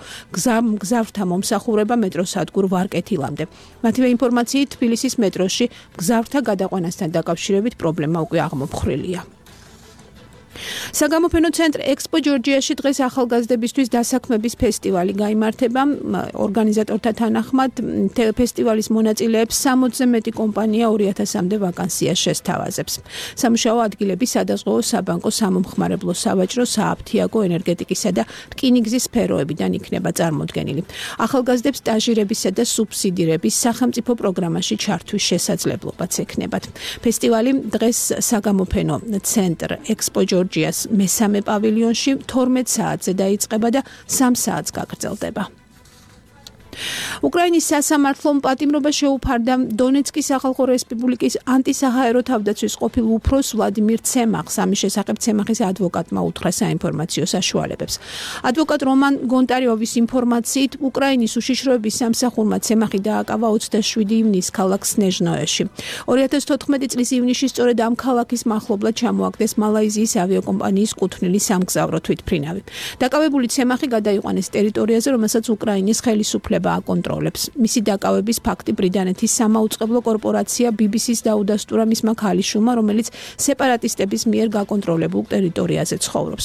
მგზავრთა მომსახურება მეტროსადგურ ვარკეთილამდე. მათივე ინფორმაციით, თბილისის მეტროში მგზავრთა გადაყვანასთან დაკავშირებით პრობლემა უკვე აღმოფხრილია. საგამოფენო ცენტრ ექსპო ჯორჯიაში დღეს ახალგაზრდებისთვის დასაქმების ფესტივალი გაიმართება. ორგანიზატორთა თანახმად ფესტივალის მონაწილეებს სამოცზე მეტი კომპანია ორი ათასამდე ვაკანსიას შესთავაზებს. სამუშაო ადგილები სადაზღვეო, საბანკო, სამომხმარებლო, სავაჭრო, სააფთიაგო, ენერგეტიკისა და რკინიგზის სფეროებიდან იქნება წარმოდგენილი. ახალგაზრდებს სტაჟირებისა და სუბსიდირების სახელმწიფო პროგრამაში ჩართვის შესაძლებლობაც ექნებათ. ფესტივალი დღეს საგამოფენო ცენტრ ექსპო ჯორჯიას მესამე პავილიონში თორმეტ საათზე დაიწყება და სამ საათს გაგრძელდება. უკრაინის სასამართლომ პატიმრობა შეუფარდა დონეცკის სახალხო რესპუბლიკის ანტისაჰაერო თავდაცვის ყოფილ უფროს ვლადიმირ ცემახს. ამის შესახებ ცემახის ადვოკატმა უთხრა საინფორმაციო საშუალებებს. ადვოკატ რომან გონტარიოვის ინფორმაციით, უკრაინის უშიშროების სამსახურმა ცემახი დააკავა ოცდაშვიდი ივნისს ქალაქ სნეჟნოეში. ორი ათას თოთხმეტი წლის ივნისში სწორედ ამ ქალაქის მახლობლად ჩამოაგდეს მალაიზიის ავიაკომპანიის კუთვნილი სამგზავრო თვითმფრინავი. დაკავებული ცემახი გადაიყვანეს ტერიტორიაზე, რომელსაც უკრაინის ხელისუფლება აკონტროლებს. მისი დაკავების ფაქტი ბრიტანეთის სამაუწყებლო კორპორაცია ბი ბი სის დაუდასტურა მისმა ქალიშვილმა, რომელიც სეპარატისტების მიერ გაკონტროლებულ ტერიტორიაზე ცხოვრობს.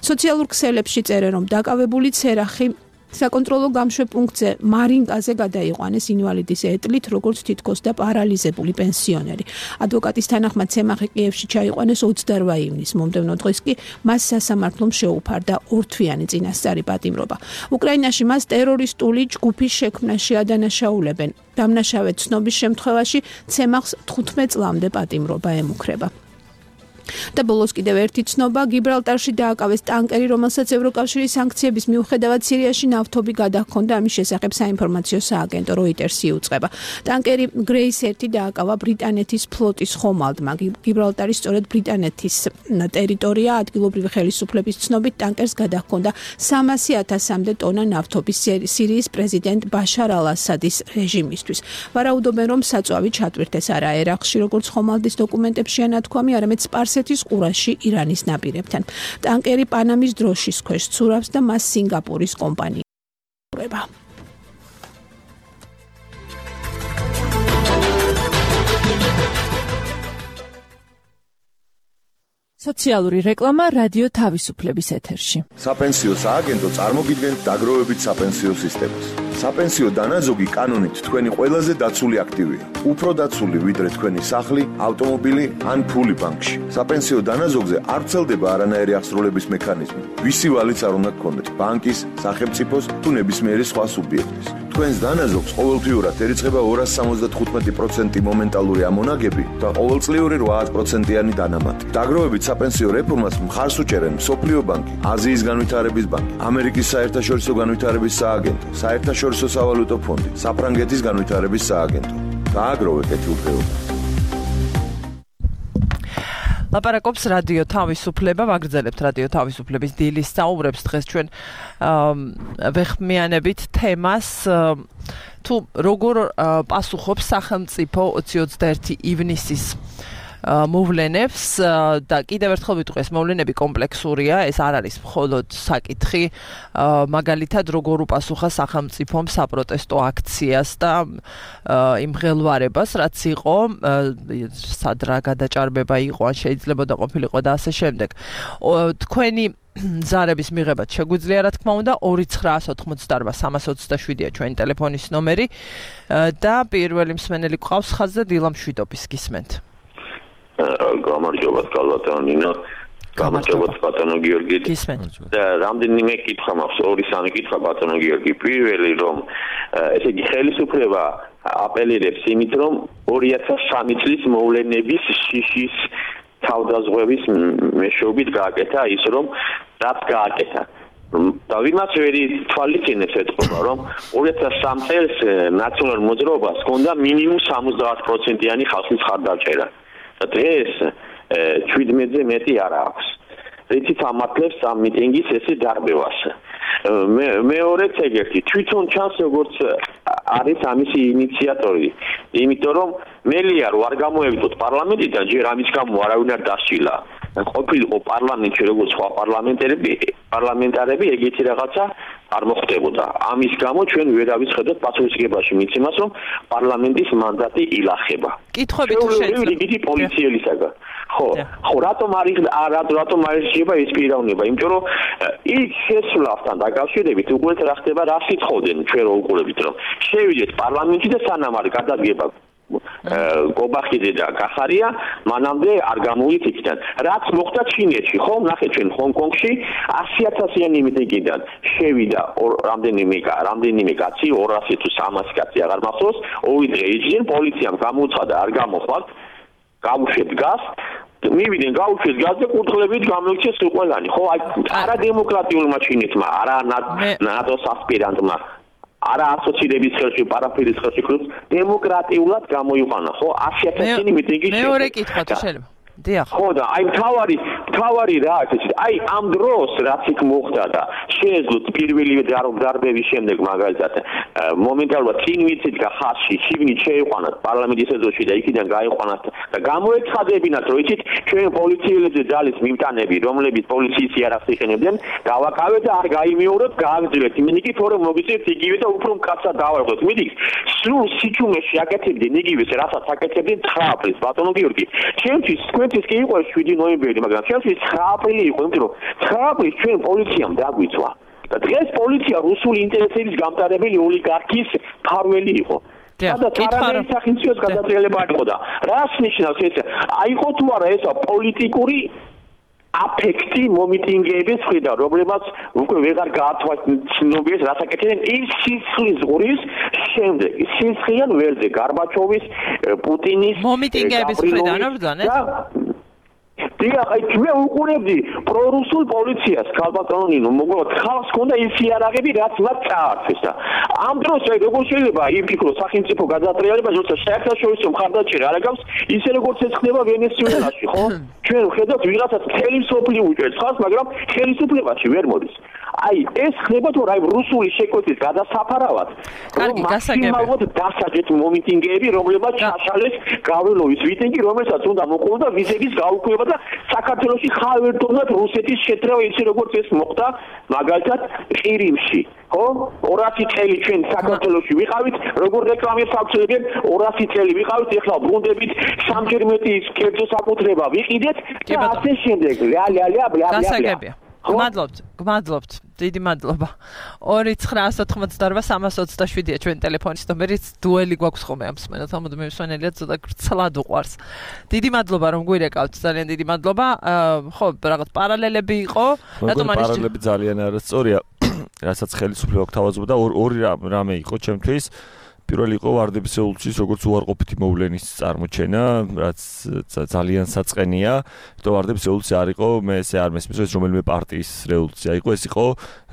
სოციალურ ქსელებში წერენ, რომ დაკავებული ცერახი საკონტროლო გამშვეპუნქტზე მარინკაზე გადაიყვანეს ინვალიდის ეტლით, როგორც თითქოს და პარალიზებული პენსიონერი. ადვოკატის თანახმად ცემახი კიევში ჩაიყვანეს ოცდარვა ივნისს. მომდევნო დღეს კი მას სასამართლომ შეუფარდა ორთვიანი წინასწარი პატიმრობა. უკრაინაში მას ტერორისტული ჯგუფის შექმნაში ადანაშაულებენ. დამნაშავედ ცნობის შემთხვევაში ცემახს თხუთმეტ წლამდე პატიმრობა ემუქრება. და ბოლოს კიდევ ერთი ცნობა, გიბრალტარში დააკავეს ტანკერი, რომელსაც ევროკავშირის სანქციების მიუხედავად სირიაში ნავთობი გადაჰქონდა. ამის შესახებ საინფორმაციო სააგენტო როიტერსი იუწყება. ტანკერი გრეის ერთი დააკავა ბრიტანეთის ფლოტის ხომალდმა. გიბრალტარი სწორედ ბრიტანეთის ტერიტორია. ადგილობრივი ხელისუფლების ცნობით ტანკერს გადაჰქონდა სამასი ათასამდე ტონა ნავთობი სირიის პრეზიდენტ ბაშარ ალ-ასადის რეჟიმისთვის. ვარაუდობენ, რომ საწვავი ჩატვირთეს არა ერაყში, როგორც ხომალდის დოკუმენტებშია ნათქვამი, არამედ სპარსეთის ყურაში ირანის ნაპირებთან. ტანკერი პანამის დროშის ქვეშ ცურავს და მას სინგაპურის კომპანია ურება. სოციალური რეკლამა რადიო თავისუფლების ეთერში. საპენსიო სააგენტო წარმოგიდგენთ დაგროვებით საპენსიო სისტემას. საპენსიო დანაზოგი კანონით თქვენი ყველაზე დაცული აქტივია. უფრო დაცული ვიდრე თქვენი სახლი, ავტომობილი ან ფული ბანკში. საპენსიო დანაზოგზე არ ვრცელდება არანაირი აღსრულების მექანიზმი. ვისი ვალიც არ უნდა გქონდეთ, ბანკის, სახელმწიფოს თუ ნებისმიერი სხვა სუბიექტის. თქვენს დანაზოგს ყოველთვიურად ერიცხება ორასი სამოცდათხუთმეტი პროცენტი მომენტალური ამონაგები და ყოველწლიური რვა პროცენტიანი დანამატი. დაგროვებით საპენსიო რეფორმას მხარს უჭერენ მსოფლიო ბანკი, აზიის განვითარების ბანკი, ამერიკის საერთაშორისო განვითარების სააგენტო, საერთაშორისო სავალუტო ფონდი, საფრანგეთის განვითარების სააგენტო. დააგროვეთ ეთილფეობას. ლაპარაკობს რადიო თავისუფლება, ვაგრძელებთ რადიო თავისუფლების დილის საუბრებს. დღეს ჩვენ ვეხმიანებით თემას, თუ როგორ პასუხობს სახელმწიფო ოცი ოცდაერთი ივნისის მოვლენებს და კიდევ ერთხელ ვიტყვი, ეს მოვლენები კომპლექსურია, ეს არ არის მხოლოდ საკითხი, მაგალითად როგორ უპასუხა სახელმწიფომ საპროტესტო აქციას და იმ ღელვარებას, რაც იყო, სად რა გადაჭარბება იყო, ან შეიძლება და ყოფილიყო და ასე შემდეგ. თქვენი ზარების მიღებაც შეგვიძლია, რა თქმა უნდა, ორი ცხრაას ოთხმოცდარვა სამას ოცდაშვიდია ჩვენი ტელეფონის ნომერი და პირველი მსმენელი გვყავს ხაზზე დილა მშვიდობის გისმენთ. გამარჯობა კალბატონო ნინო, გამარჯობა ბატონო გიორგი. და რამდენიმე კითხვა მაქვს, ორი სამი კითხვა ბატონო გიორგი. პირველი, რომ ესე იგი ხელისუფლება აპელირებს იმით, რომ ორი ათას სამი წლის მოვლენების შიშის თავდაზღვევის მეშვეობით გააკეთა ის, რომ რაც გააკეთა. და ვიმაც ვერი თვალიჩინებს ეთქობა, რომ ორი ათას სამი წელს ნაციონალურ მოძრაობას ჰქონდა მინიმუმ სამოცდაათ პროცენტიანი ხალხის ხარდაჭერა. და დღეს შვიდმეტზე მეტი არ აქვს. რითიც ამართლებს ამ მიტინგის ესე დარბევას. მეორეც ეგეთი, თვითონ ჩანს როგორც არის ამის ინიციატორი. იმიტომ რომ მელია რო არ გამოევიდოთ პარლამენტიდან, ჯერ ამის გამო არავინ არ დასჯილა. ყოფილიყო პარლამენტში როგორც სხვა პარლამენტარები, პარლამენტარები ეგეთი რაღაცა არ მოხდებოდა. ამის გამო ჩვენ ვერავის ხედავთ პასუხისმგებაში მიცემას, რომ პარლამენტის მანდატი ილახება. კითხვები თუ შეიძლება რიგითი პოლიციელისაგან. ხო, ხო, რატომ არის რატომ არის შეიძლება ეს პიროვნება? იმიტომ რომ იქ შესვლასთან დაკავშირებით უყურეთ რა ხდება, რა სიტყოდენ ჩვენ რო უყურებით, რომ შევიდეთ პარლამენტში და სანამ არ გადადგება გობახიძე და კახარია, მანამდე არ გამოვით იქიდან. რაც მოხდა ჩინეთში, ხო, ნახეთ ჩვენ ჰონკონგში ასი ათასიანი მიტინგიდან შევიდა რამდენიმე რამდენიმე კაცი, ორასი თუ სამასი კაცი აღარ მახსოვს, ორი დღე იჯდნენ, პოლიციამ გამოუცხადა, არ გამოხვალთ, გავუშვეთ გას, მივიდნენ გავუშვეთ გას და კურთხლებით გამოიქცეს ყველანი, ხო, აი არა დემოკრატიულმა ჩინეთმა, არა ნატოს ასპირანტმა არა ასოცირების ხელში, პარაფირის ხელში, დემოკრატიულად გამოიყვანა, ხო? ასი ათასიანი მიტინგი შეიძლება. მეორე კითხვა თუ შეიძლება. დიახ. ხო და აი თავარი, თავარი რა არის? აი ამ დროს რაც იქ მოხდა და შეეძლოთ პირველი დარბების შემდეგ მაგალითად მომენტალურად წინ ვიცით ხალხი შიგნით შეიყვანათ პარლამენტის ეზოში და იქიდან გაიყვანათ და გამოეცხადებინათ რომ იცით ჩვენ პოლიციელებზე ძალის მიმტანები რომლებიც პოლიციის იარაღს იყენებდნენ გავაკავეთ და არ გაიმეოროთ გააგრძელეთ იმენიკი თორემ მოგიწევთ იგივე და უფრო მკაცრად დავარღვევთ მიდის სულ სიჩუმეში აკეთებდნენ იგივეს რასაც აკეთებდნენ ცხრა აპრილს ბატონო გიორგი ჩემთვის თქვენთვის კი იყო შვიდი ნოემბერი მაგრამ ჩემთვის ცხრა აპრილი იყო იმიტომ რომ ცხრა აპრილს ჩვენ პოლიციამ დაგვიწვა და დღეს პოლიცია რუსული ინტერესების გამტარებელი ოლიგარქის ფარველი იყო სადაც არანაირი სახელმწიფოს გადატრიალება არ იყო და რას ნიშნავს ეს აიყო თუ არა ეს პოლიტიკური აფექტი მომიტინგეების მხრიდან, რომლებაც უკვე ვეღარ გაათვალისწინებიეს, რაც აკეთებენ ის სისხლის ზღურის შემდეგ. სისხლიან ველზე გარბაჩოვის, პუტინის მომიტინგეების მხრიდან არ ბრძანეთ? დიახ, აი მე უყურებდი პრორუსულ პოლიციას, ქალბატონინო, მოგონა ხალხს ქონდა ის იარაღები, რაც მათ წაართვეს და ამ დროს აი როგორ შეიძლება იფიქროს სახელმწიფო გადატრიალება, როცა საერთაშორისო მხარდაჭერა არ აგავს, ისე როგორც ეს ხდება ვენესუელაში, ხო? ჩვენ ვხედავთ ვიღაცას ხელისუფლება უჭერს ხალხს, მაგრამ ხელისუფლებაში ვერ მოდის. აი ეს ხდება თუ რა რუსული შეკვეთის გადასაფარავად. კარგი, გასაგებია. მაგალითად დასაჯეთ მომიტინგეები, რომლებსაც შაშალეს გავრილოვის მიტინგი, რომელსაც უნდა მოყოლოდა ვიზების გაუქმება და საქართველოში ხალხებთან რუსეთის შეტრევა ისე როგორც ეს მოხდა მაგალითად ყირიმში. ხო? ორასი წელი ჩვენ საქართველოში ვიყავით, როგორ რეკლამებს ავწევდნენ, ორასი წელი ვიყავით, ეხლა ბრუნდებით სამჯერ მეტი კერძო საკუთრება ვიყიდეთ და ასე შემდეგ. ლა ლა ლა ბლა ბლა. გასაგებია. გმადლობთ, გმადლობთ. დიდი მადლობა. ორი ცხრა ოთხმოცდაორვა სამას ოცდაშვიდია ჩვენ ტელეფონის ნომერიც დუელი გვაქვს ხოლმე ამ მსმენელს, ამოდ მისვენელია ცოტა გრცლად უყვარს. დიდი მადლობა რომ გვირეკავთ, ძალიან დიდი მადლობა. ხო, რაღაც პარალელები იყო, რატომ არის პარალელები ძალიან არასწორია. რასაც ხელისუფლება გვთავაზობდა ორი რამე იყო ჩემთვის. პირველი იყო ვარდების რევოლუციის როგორც უარყოფითი მოვლენის წარმოჩენა, რაც ძალიან საწყენია. იმიტომ ვარდების რევოლუცია არ იყო, მე ესე არ მესმის, ეს რომელიმე პარტიის რევოლუცია იყო, ეს იყო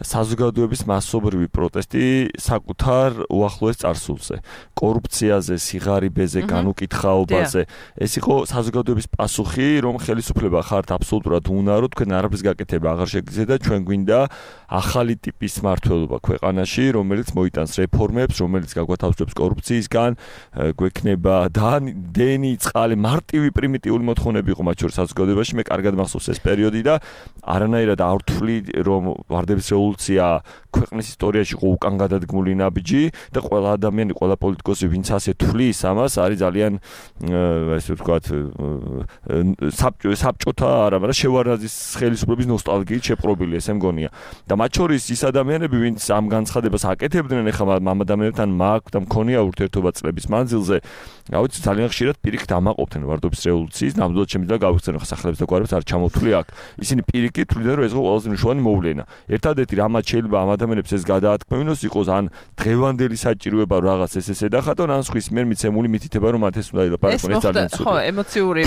საზოგადოების მასობრივი პროტესტი საკუთარ უახლოეს წარსულზე, კორუფციაზე, სიღარიბეზე, განუკითხაობაზე. ეს იყო საზოგადოების პასუხი, რომ ხელისუფლება ხართ აბსოლუტურად უნარო, თქვენ არაფრის გაკეთება აღარ შეგიძლიათ და ჩვენ გვინდა ახალი ტიპის მმართველობა ქვეყანაში, რომელიც მოიტანს რეფორმებს, რომელიც გაგვათავისუფლებს კორუფციისგან, გვექნება დენი, წყალი, მარტივი პრიმიტიული მოთხოვნები იყო მათ შორის საზოგადოებაში. მე კარგად მახსოვს ეს პერიოდი და არანაირად არ ვთვლი, რომ ვარდების რევოლუცია ქვეყნის ისტორიაში იყო უკან გადადგმული ნაბიჯი და ყველა ადამიანი, ყველა პოლიტიკოსი, ვინც ასე თვლის ამას, არის ძალიან ესე ვთქვათ საბჭოთა არა, მაგრამ შევარდნაძის ხელისუფლების ნოსტალგიით შეპყრობილი, ესე მგონია. და მათ შორის ის ადამიანები, ვინც ამ განცხადებას აკეთებდნენ, ეხლა ამ ადამიანებთან მაქვს და მქონია ურთიერთობა წლების მანძილზე, რა ვიცი, ძალიან ხშირად პირიქით ამაყობდნენ ვარდობის რევოლუციის, ნამდვილად შემიძლია გავიხსენო ხა სახელებს და გვარებს არ ჩამოვთვლი აქ. ისინი პირიქით თვლიდნენ, რომ ეს იყო ყველაზე მნიშვნელოვანი მოვლენა. ერთადერთი რამაც შეიძლება ამ ადამიანებს ეს გადაათქმევინოს იყოს ან დღევანდელი საჭიროება რაღაც ეს ესე დახატონ, ან სხვის მიერ მიცემული მითითება, რომ მათ ეს უნდა ილაპარაკონ, ეს ძალიან ცუდია. ხო, ემოციური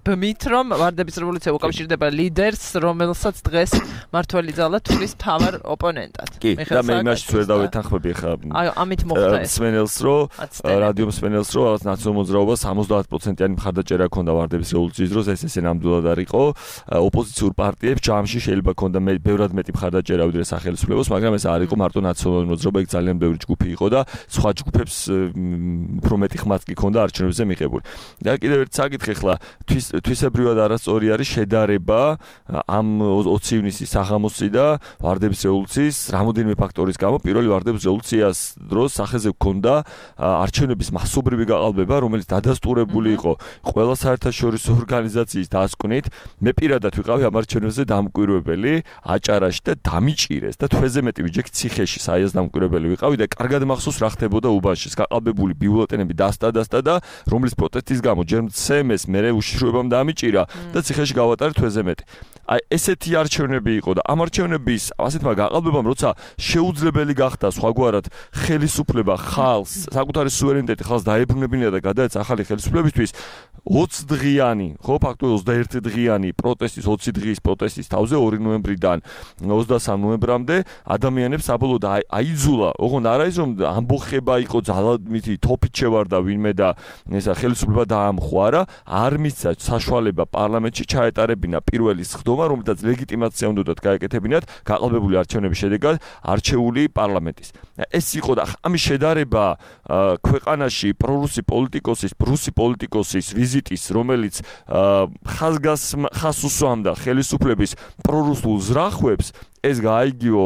ბმით, რომ ვარდების რევოლუცია უკავშირდება ლიდერს, რომელსაც დღეს მართველი ძალა თვლის მთავარ ოპონენტად. კი, და მე იმაშიც ვერ დავეთანხმები ხა. აი, ამით მოხდა ეს. სვენელს მსმენელს რომ რადიო მსმენელს რომ რაღაც ნაციონალურ მოძრაობას სამოცდაათ პროცენტიანი მხარდაჭერა ჰქონდა ვარდების რევოლუციის დროს, ეს ესე ნამდვილად არ იყო. ოპოზიციურ პარტიებს ჯამში შეიძლება ჰქონდა ბევრად მეტი მხარდაჭერა ვიდრე სახელმწიფოს, მაგრამ ეს არ იყო მარტო ნაციონალური მოძრაობა, იქ ძალიან ბევრი ჯგუფი იყო და სხვა ჯგუფებს უფრო მეტი ხმაც კი ჰქონდა არჩევნებზე მიღებული. და კიდევ ერთ საკითხი ხლა თვისებრივად არასწორი არის შედარება ამ ოცი ივნისის საღამოსი და ვარდების რევოლუციის რამოდენიმე ფაქტორის გამო. პირველი ვარდების რევოლუციას დროს სახეზე ჰქონდა არჩევნების მასობრივი გაყალბება, რომელიც დადასტურებული იყო ყველა საერთაშორისო ორგანიზაციის დასკვნით. მე პირადად ვიყავი ამ არჩევნებზე დამკვირვებელი აჭარაში და დამიჭირეს და თვეზე მეტი ვიჯექი ციხეში საიას დამკვირვებელი ვიყავი და კარგად მახსოვს რა ხდებოდა უბანში. გაყალბებული ბიულეტენები დასტა-დასტა და რომლის პროტესტის გამო ჯერ მცემეს, მერე უშიშროებამ დამიჭირა და ციხეში გავატარე თვეზე მეტი. აი ესეთი არჩევნები იყო და ამ არჩევნების ასეთმა გაყალბებამ როცა შეუძლებელი გახდა სხვაგვარად ხელისუფლება ხალხს, საკუთარი სუვერენიტეტი ხალხს დაებრუნებინა და გადაეცა ახალი ხელისუფლებისთვის ოცი დღიანი, ხო, ფაქტობრივად ოცდაერთი დღიანი პროტესტის, ოცი დღის პროტესტის თავზე ორი ნოემბრიდან ოცდასამ ნოემბრამდე ადამიანებს საბოლოოდ აიძულა, ოღონდ არა ის რომ ამბოხება იყო ძალადმითი თოფით შევარდა ვინმე და ესა ხელისუფლება დაამხوارა, არ მისცა საშუალება პარლამენტში ჩაეტარებინა პირველი სხდომა, რომელთაც ლეგიტიმაცია უნდათ გაეკეთებინათ გაყალბებული არჩევნების შედეგად არჩეული პარლამენტის. ეს იყო და ამის შედარება ქვეყანაში პრორუსი პოლიტიკოსის, რუსი პოლიტიკოსის ვიზიტის, რომელიც ხაზგას ხას უსვამდა ხელისუფლების პრორუსულ ზრახვებს, ეს გაიგიო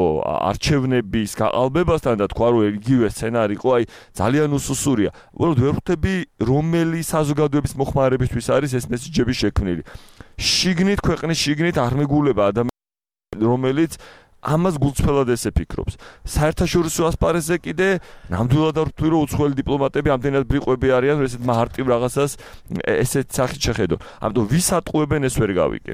არჩევნების გაყალბებასთან და თქვა რომ იგივე სცენარი იყო, აი ძალიან უსუსურია. უბრალოდ ვერ ხვდები რომელი საზოგადოების მოხმარებისთვის არის ეს მესიჯები შექმნილი. შიგნით ქვეყნის შიგნით არ მეგულება ადამიანი რომელიც ამას გულწრფელად ესე ფიქრობს. საერთაშორისო ასპარეზზე კიდე ნამდვილად არ ვთვლი რომ უცხოელი დიპლომატები ამდენად ბრიყვები არიან, რომ ესეთ მარტივ რაღაცას ესეთ სახით შეხედო. ამიტომ ვის ატყუებენ ეს ვერ გავიგე.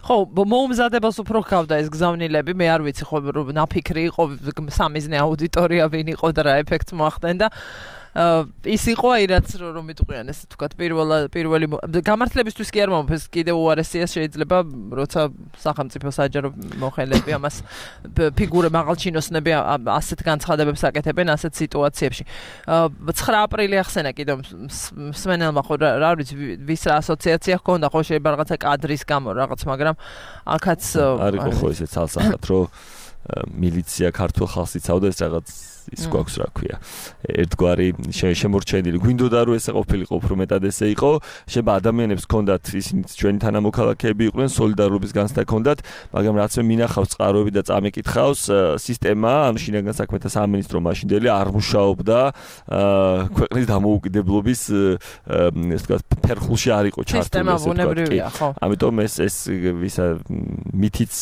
ხო, მოუმზადებას უფრო გავდა ეს გზავნილები, მე არ ვიცი ხო რომ ნაფიქრი იყო სამიზნე აუდიტორია ვინ იყო და რა ეფექტს მოახდენდა. ის იყო აი რაც რომ მიტყვიან ესე თქვათ პირველ პირველი გამართლებისთვის კი არ მომფეს კიდევ უარესია შეიძლება როცა სახელმწიფო საჯარო მოხელები ამას ფიგურე მაღალჩინოსნები ასეთ განცხადებებს აკეთებენ ასეთ სიტუაციებში. ცხრა აპრილი ახსენა კიდევ მსმენელმა ხო რა ვიცი ვის რა ასოციაცია ჰქონდა ხო შეიძლება რაღაცა კადრის გამო რაღაც მაგრამ აქაც არ იყო ხო ესე ცალსახად რომ მილიცია ქართულ ხალხს იცავდა ეს რაღაც ის გვაქვს რა ქვია ერთგვარი შემორჩენილი გვინდოდა რომ ესე ყოფილიყო უფრო მეტად ესე იყო შეიძლება ადამიანებს ჰქონდათ ისინი ჩვენი თანამოქალაქეები იყვნენ სოლიდარობის განცდა ჰქონდათ მაგრამ რაც მე მინახავს წყაროები და წამეკითხავს სისტემა ანუ შინაგან საქმეთა სამინისტრო მაშინდელი არ მუშაობდა ქვეყნის დამოუკიდებლობის ესე ვთქვათ ფერხულში არ იყო ჩართული სისტემა ხო ამიტომ ეს ეს ვისა მითიც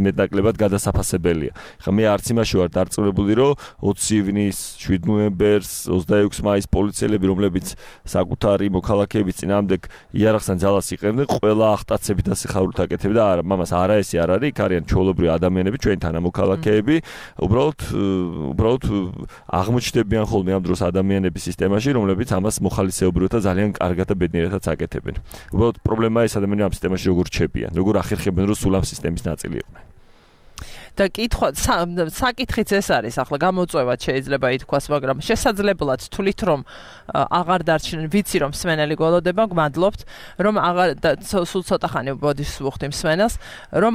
მეტნაკლებად გადასაფასებელია ხა მე არც იმაში ვარ დარწმუნებული რომ ოცი ივნის, შვიდ ნოემბერს, ოცდაექვსი მაისს პოლიციელები, რომლებიც საკუთარი მოქალაქეების წინააღმდეგ იარაღთან ძალას იყენებდნენ, ყველა აღტაცებით და სიხარულით აკეთებდა. არა, მამას არა ესე არ არის, იქ არიან ჩვეულებრივი ადამიანები, ჩვენი თანამოქალაქეები, უბრალოდ უბრალოდ აღმოჩნდებიან ხოლმე ამ დროს ადამიანების სისტემაში, რომლებიც ამას მოხალისეობრივად და ძალიან კარგად და ბედნიერადაც აკეთებენ. უბრალოდ პრობლემაა ეს ადამიანები ამ სისტემაში როგორ რჩებიან, როგორ ახერხებენ, რომ სულ ამ სისტემის ნაწილი იყვნენ. და კითხვა საკითხიც ეს არის ახლა გამოწვევად შეიძლება ითქვას მაგრამ შესაძლებლად თვლით რომ აღარ დარჩნენ ვიცი რომ მსმენელი გველოდება გმადლობთ რომ აღარ სულ ცოტა ხანი ბოდის ვუხდი მსმენელს რომ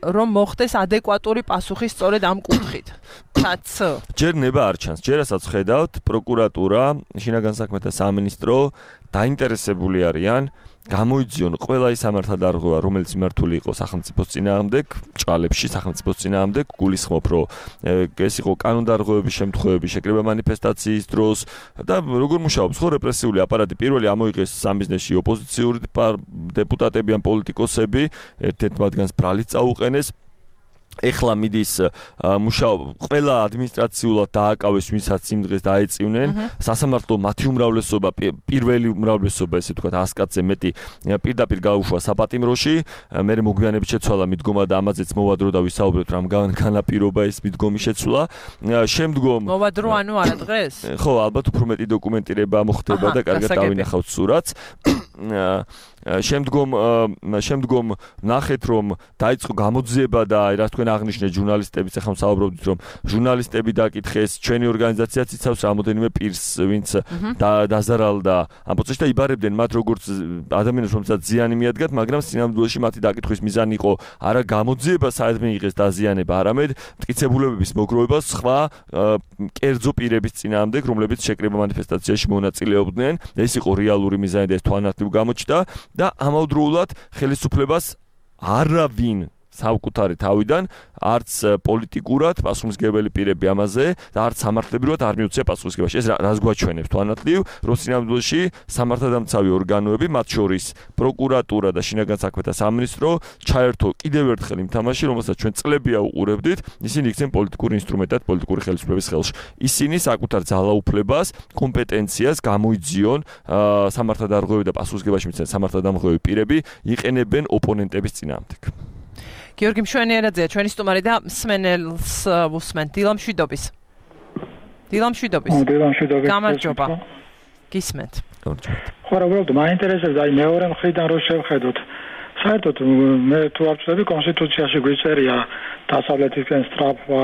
რომ მოხდეს ადეკვატური პასუხი სწორედ ამ კუთხით. თაც ჯერ ნება არ ჩანს. ჯერასაც ხედავთ პროკურატურა, შინაგან საქმეთა სამინისტრო დაინტერესებული არიან გამოიძიონ ყველა ის სამართალდარღვევა, რომელიც მიმართული იყო სახელმწიფოს წინააღმდეგ, ჭალებში სახელმწიფოს წინააღმდეგ, გულისხმობ, რომ ეს იყო კანონდარღვევების შემთხვევები, შეკრება მანიფესტაციის დროს და როგორ მუშაობს ხო რეპრესიული აპარატი პირველი ამოიღეს სამიზნეში ოპოზიციური დეპუტატები ან პოლიტიკოსები, ერთ-ერთ მათგანს ბრალიც წაუყენეს ეხლა მიდის მუშაობა ყველა ადმინისტრაციულად დააკავეს ვისაც იმ დღეს დაეწინენ სასამართლო მათი უმრავლესობა პირველი უმრავლესობა ესე ვთქვათ ას კაცზე მეტი პირდაპირ გაუშვა საპატიმროში მე მოგვიანებით შეცვალა მიდგომა და ამაზეც მოვადრო და ვისაუბრეთ რამ განაპირობა ეს მიდგომის შეცვლა შემდგომ მოვადრო ანუ არა დღეს ხო ალბათ უფრო მეტი დოკუმენტირება მოხდება და კარგად დავინახავთ სურათს შემდგომ შემდგომ ნახეთ რომ დაიწყო გამოძიება და რა თქვენ აღნიშნეთ ჟურნალისტების, ახლა ვსაუბრობთ რომ ჟურნალისტები დაკითხეს, ჩვენი ორგანიზაციაც იცავს რამოდენიმე პირს, ვინც დაზარალდა ამ პროცესში და იბარებდნენ მათ როგორც ადამიანებს, რომელსაც ზიანი მიადგათ, მაგრამ სინამდვილეში მათი დაკითხვის მიზანი იყო არა გამოძიება, საერთოდ მიიღეს დაზიანება, არამედ მტკიცებულებების მოგროვება სხვა კერძო პირების წინააღმდეგ, რომლებიც შეკრება მანიფესტაციაში მონაწილეობდნენ. ეს იყო რეალური მიზანი და ეს თვალნათლივ გამოჩნდა და ამავდროულად ხელისუფლებას არავინ საკუთარი თავიდან არც პოლიტიკურად პასუხისმგებელი პირები ამაზე და არც სამართლებრივად არ მიუწია პასუხისმგებაში. ეს რას გვაჩვენებს თვალნათლივ, რომ სინამდვილეში სამართალდამცავი ორგანოები, მათ შორის პროკურატურა და შინაგან საქმეთა სამინისტრო ჩაერთო კიდევ ერთხელ იმ თამაში, რომელსაც ჩვენ წლებია უყურებდით, ისინი იქცენ პოლიტიკური ინსტრუმენტად პოლიტიკური ხელისუფლების ხელში. ისინი საკუთარ ძალაუფლებას, კომპეტენციას გამოიძიონ სამართალდამცავი და პასუხისმგებაში მიცემენ სამართალდამცავი პირები იყენებენ ოპონენტების წინააღმდეგ. გიორგი მშვენიერაძეა ჩვენი სტუმარი და მსმენელს უსმენთ დილა მშვიდობის. დილა მშვიდობის. დილა მშვიდობის. გამარჯობა. გისმენთ. გამარჯობა. ხო, უბრალოდ მაინტერესებს აი მეორე მხრიდან რო შევხედოთ. საერთოდ მე თუ არ ვწდები კონსტიტუციაში გვიწერია დასავლეთისკენ სწრაფვა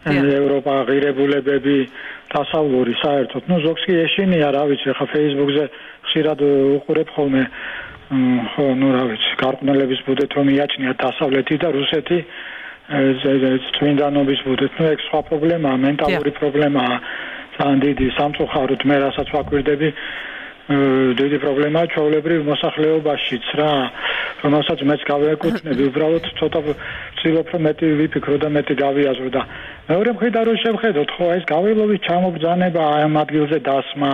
ევროპა ღირებულებები დასავლური საერთოდ. ნუ ზოგს კი ეშინია, რა ვიცი, ხა Facebook-ზე ხშირად უყურებ ხოლმე ხო, ნუ რა ვიცი, გარყვნილების ბუდეთ რომ იაჩნია დასავლეთი და რუსეთი წმინდანობის ბუდეთ. ნუ ეგ სხვა პრობლემაა, მენტალური პრობლემაა, ძალიან დიდი სამწუხაროდ მე რასაც ვაკვირდები, დიდი პრობლემაა ჩვეულებრივ მოსახლეობაშიც რა, რომელსაც მეც გავეკუთვნები, უბრალოდ ცოტა ვცდილობ რომ მეტი ვიფიქრო და მეტი გავიაზრო და მეორე მხრიდან რო შევხედოთ, ხო, ეს გაველოვის ჩამობრძანება ამ ადგილზე დასმა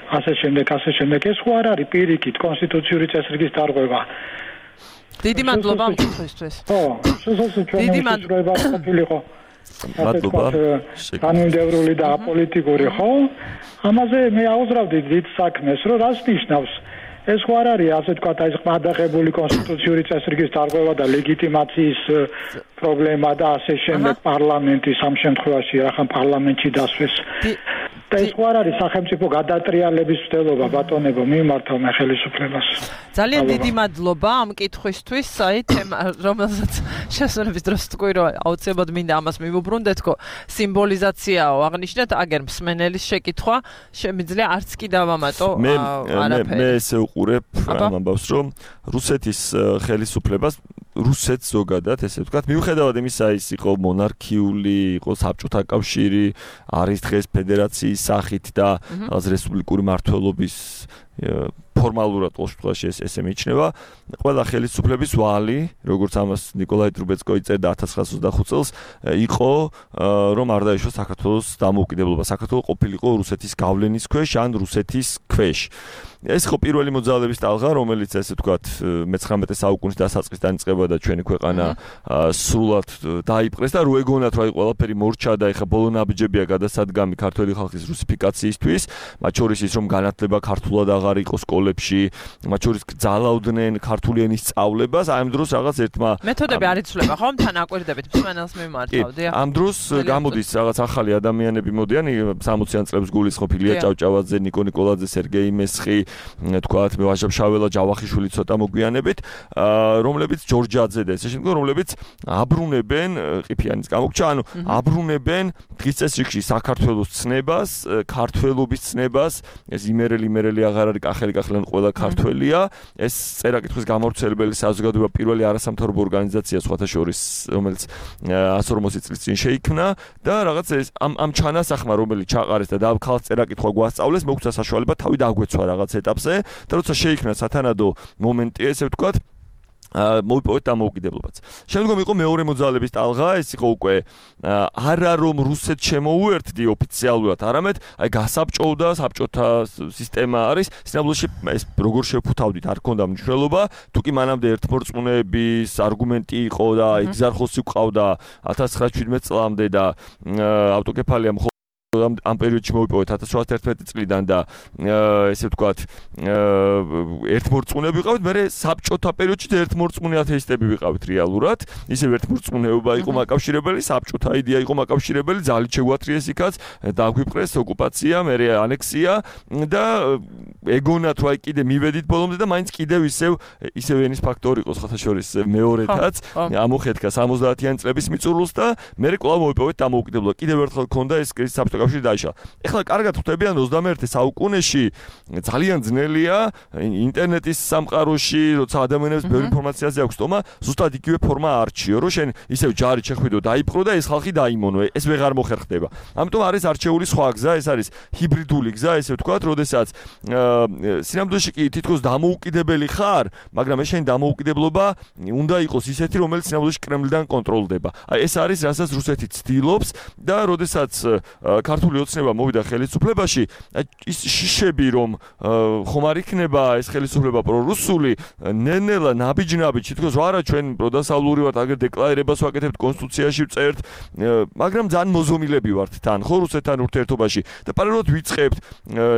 ასე შემდეგ, ასე შემდეგ, ეს ხო არ არის პირიქით კონსტიტუციური წესრიგის დარღვევა. დიდი მადლობა ამ კითხვისთვის. ხო, შესაძლოა ჩვენი მადლობა ყოფილიყო. მადლობა. კანონმდებლური და აპოლიტიკური, ხო? ამაზე მე აუზრავდი დიდ საქმეს, რომ რას ნიშნავს? ეს ხო არ არის ასე თქვა, აი ყმადაღებული კონსტიტუციური წესრიგის დარღვევა და ლეგიტიმაციის პრობლემა და ასე შემდეგ პარლამენტის ამ შემთხვევაში ახლა პარლამენტში დასვეს. და ეს ხო არ არის სახელმწიფო გადატრიალების მცდელობა ბატონებო მიმართავ მე ხელისუფლებას. ძალიან დიდი მადლობა ამ კითხვისთვის, აი თემა რომელსაც შესაძლოა დროს თქვი რომ აუცილებლად მინდა ამას მივუბრუნდეთქო, სიმბოლიზაციაო აღნიშნეთ, აგერ მსმენელის შეკითხვა შემიძლია არც კი დავამატო არაფერი. მე ესე უყურებ ამ ამბავს რომ რუსეთის ხელისუფლებას რუსეთს ზოგადად ესე ვთქვათ, მიუხედავად იმისა, ის იყო მონარქიული, იყო საბჭოთა კავშირი, არის დღეს ფედერაციის სახით და რესპუბლიკური მმართველობის ფორმალურად ყოველ შემთხვევაში ეს ესე მიიჩნევა. ყველა ხელისუფლების ვალი, როგორც ამას ნიკოლაი ტრუბეცკო იწერდა ათას ცხრაას ოცდახუთ წელს, იყო რომ არ დაეშვა საქართველოს დამოუკიდებლობა. საქართველო ყოფილიყო რუსეთის გავლენის ქვეშ ან რუსეთის ქვეშ. ეს ხო პირველი მოძრაობების ტალღა, რომელიც ესე ვთქვათ მეცხრამეტე საუკუნის დასაწყისს დაიწყება და ჩვენი ქვეყანა სრულად დაიპყრეს და რო ეგონათ რომ აი ყველაფერი მორჩა და ეხა ბოლო ნაბიჯებია გადასადგამი ქართველი ხალხის რუსიფიკაციისთვის, მათ შორის ის რომ განათლება ქართულად აღარ იყო სკოლებში, მათ შორის ძალაუდნენ ქართული ენის სწავლებას, აი ამ დროს რაღაც ერთმა მეთოდები არ იცვლება, ხო? თან აკვირდებით მსმენელს მიმართავდი. ამ დროს გამოდის რაღაც ახალი ადამიანები მოდიან, სამოციან წლებს გულისხმობ ილია ჭავჭავაძე, ნიკო ნიკოლაძე, სერგეი მესხი, თქვათ მე ვაჟა-შაველა, ჯავახიშვილი ცოტა მოგვიანებით, რომლებიც ჯორჯაძე და ესე შემდეგ, რომლებიც აბრუნებენ ყიფიანის გამოგჩა, ანუ აბრუნებენ დღის წესრიგში საქართველოს ცნებას, ქართველობის ცნებას, ეს იმერელი იმერელი აღარ არის კახელი კახელან ყველა ქართველია, ეს წერა-კითხვის გამავრცელებელი საზოგადოება პირველი არასამთავრობო ორგანიზაცია სხვათა შორის, რომელიც ათას ორმოცი წლის წინ შეიქმნა და რაღაც ეს ამ ამ ჩანასახმა, რომელიც ჩაყარეს და ქალს წერა-კითხვა გვასწავლეს, მოგცა საშუალება თავი დაგვეცვა რაღაც ეტაპზე და როცა შეიქმნა სათანადო მომენტი, ესე ვთქვათ, მოვიპოვეთ დამოუკიდებლობაც. შემდგომ იყო მეორე მოძრაობების ტალღა, ეს იყო უკვე არა რომ რუსეთს შემოუერთდი ოფიციალურად, არამედ აი გასაბჭოვდა, საბჭოთა სისტემა არის, სინამდვილეში ეს როგორ შევფუთავდით, არ ქონდა მნიშვნელობა, თუკი მანამდე ერთმორწმუნეების არგუმენტი იყო და ეგზარხოსი ყავდა ათას ცხრაას შვიდმეტ წლამდე და ავტოკეფალია ამ ამ პერიოდში მოვიპოვეთ ათას ცხრაასი ერთმეტი წლიდან და ესე ვთქვათ ერთმორწმუნეები ვიყავით, მე საბჭოთა პერიოდში ერთმორწმუნე ათეისტები ვიყავით რეალურად. ისევ ერთმორწმუნეობა იყო მაკავშირებელი, საბჭოთა იდეა იყო მაკავშირებელი, ძალით შეგვათრიეს იქაც, დაგვიპყრეს ოკუპაცია, მერე ანექსია და ეგონათ რომ აი კიდე მივედით ბოლომდე და მაინც კიდევ ისევ ისევ ენის ფაქტორი იყო სხვათა შორის მეორეთაც ამოხეთქა სამოცდაათიანი წლების მიწურულს და მე კვლავ მოვიპოვეთ დამოუკიდებლობა. კიდევ ერთხელ ქონდა ეს საბჭოთა კავშირი დაიშალა. ეხლა კარგად ხვდებიან ოცდამეერთე საუკუნეში ძალიან ძნელია ინტერნეტის სამყაროში, როცა ადამიანებს ბევრი ინფორმაციაზე აქვს თომა, ზუსტად იგივე ფორმა არჩიო, რომ შენ ისევ ჯარი შეხვიდო, დაიპყრო და ეს ხალხი დაიმონო. ეს ვეღარ მოხერხდება. ამიტომ არის არჩეული სხვა გზა, ეს არის ჰიბრიდული გზა, ესე ვთქვათ, როდესაც სინამდვილეში კი თითქოს დამოუკიდებელი ხარ, მაგრამ ეს შენი დამოუკიდებლობა უნდა იყოს ისეთი, რომელიც სინამდვილეში კრემლიდან კონტროლდება. აი ეს არის, რასაც რუსეთი ცდილობს და როდესაც ქართული ოცნება მოვიდა ხელისუფლებაში, ის შიშები რომ ხომ არ იქნება ეს ხელისუფლება პრორუსული, ნენელა ნაბიჯ-ნაბიჯ თითქოს რა არა ჩვენ პროდასავლური ვართ, აგერ დეკლარირებას ვაკეთებთ კონსტიტუციაში ვწერთ, მაგრამ ძალიან მოზომილები ვართ თან, ხო რუსეთთან ურთიერთობაში და პარალელურად ვიწყებთ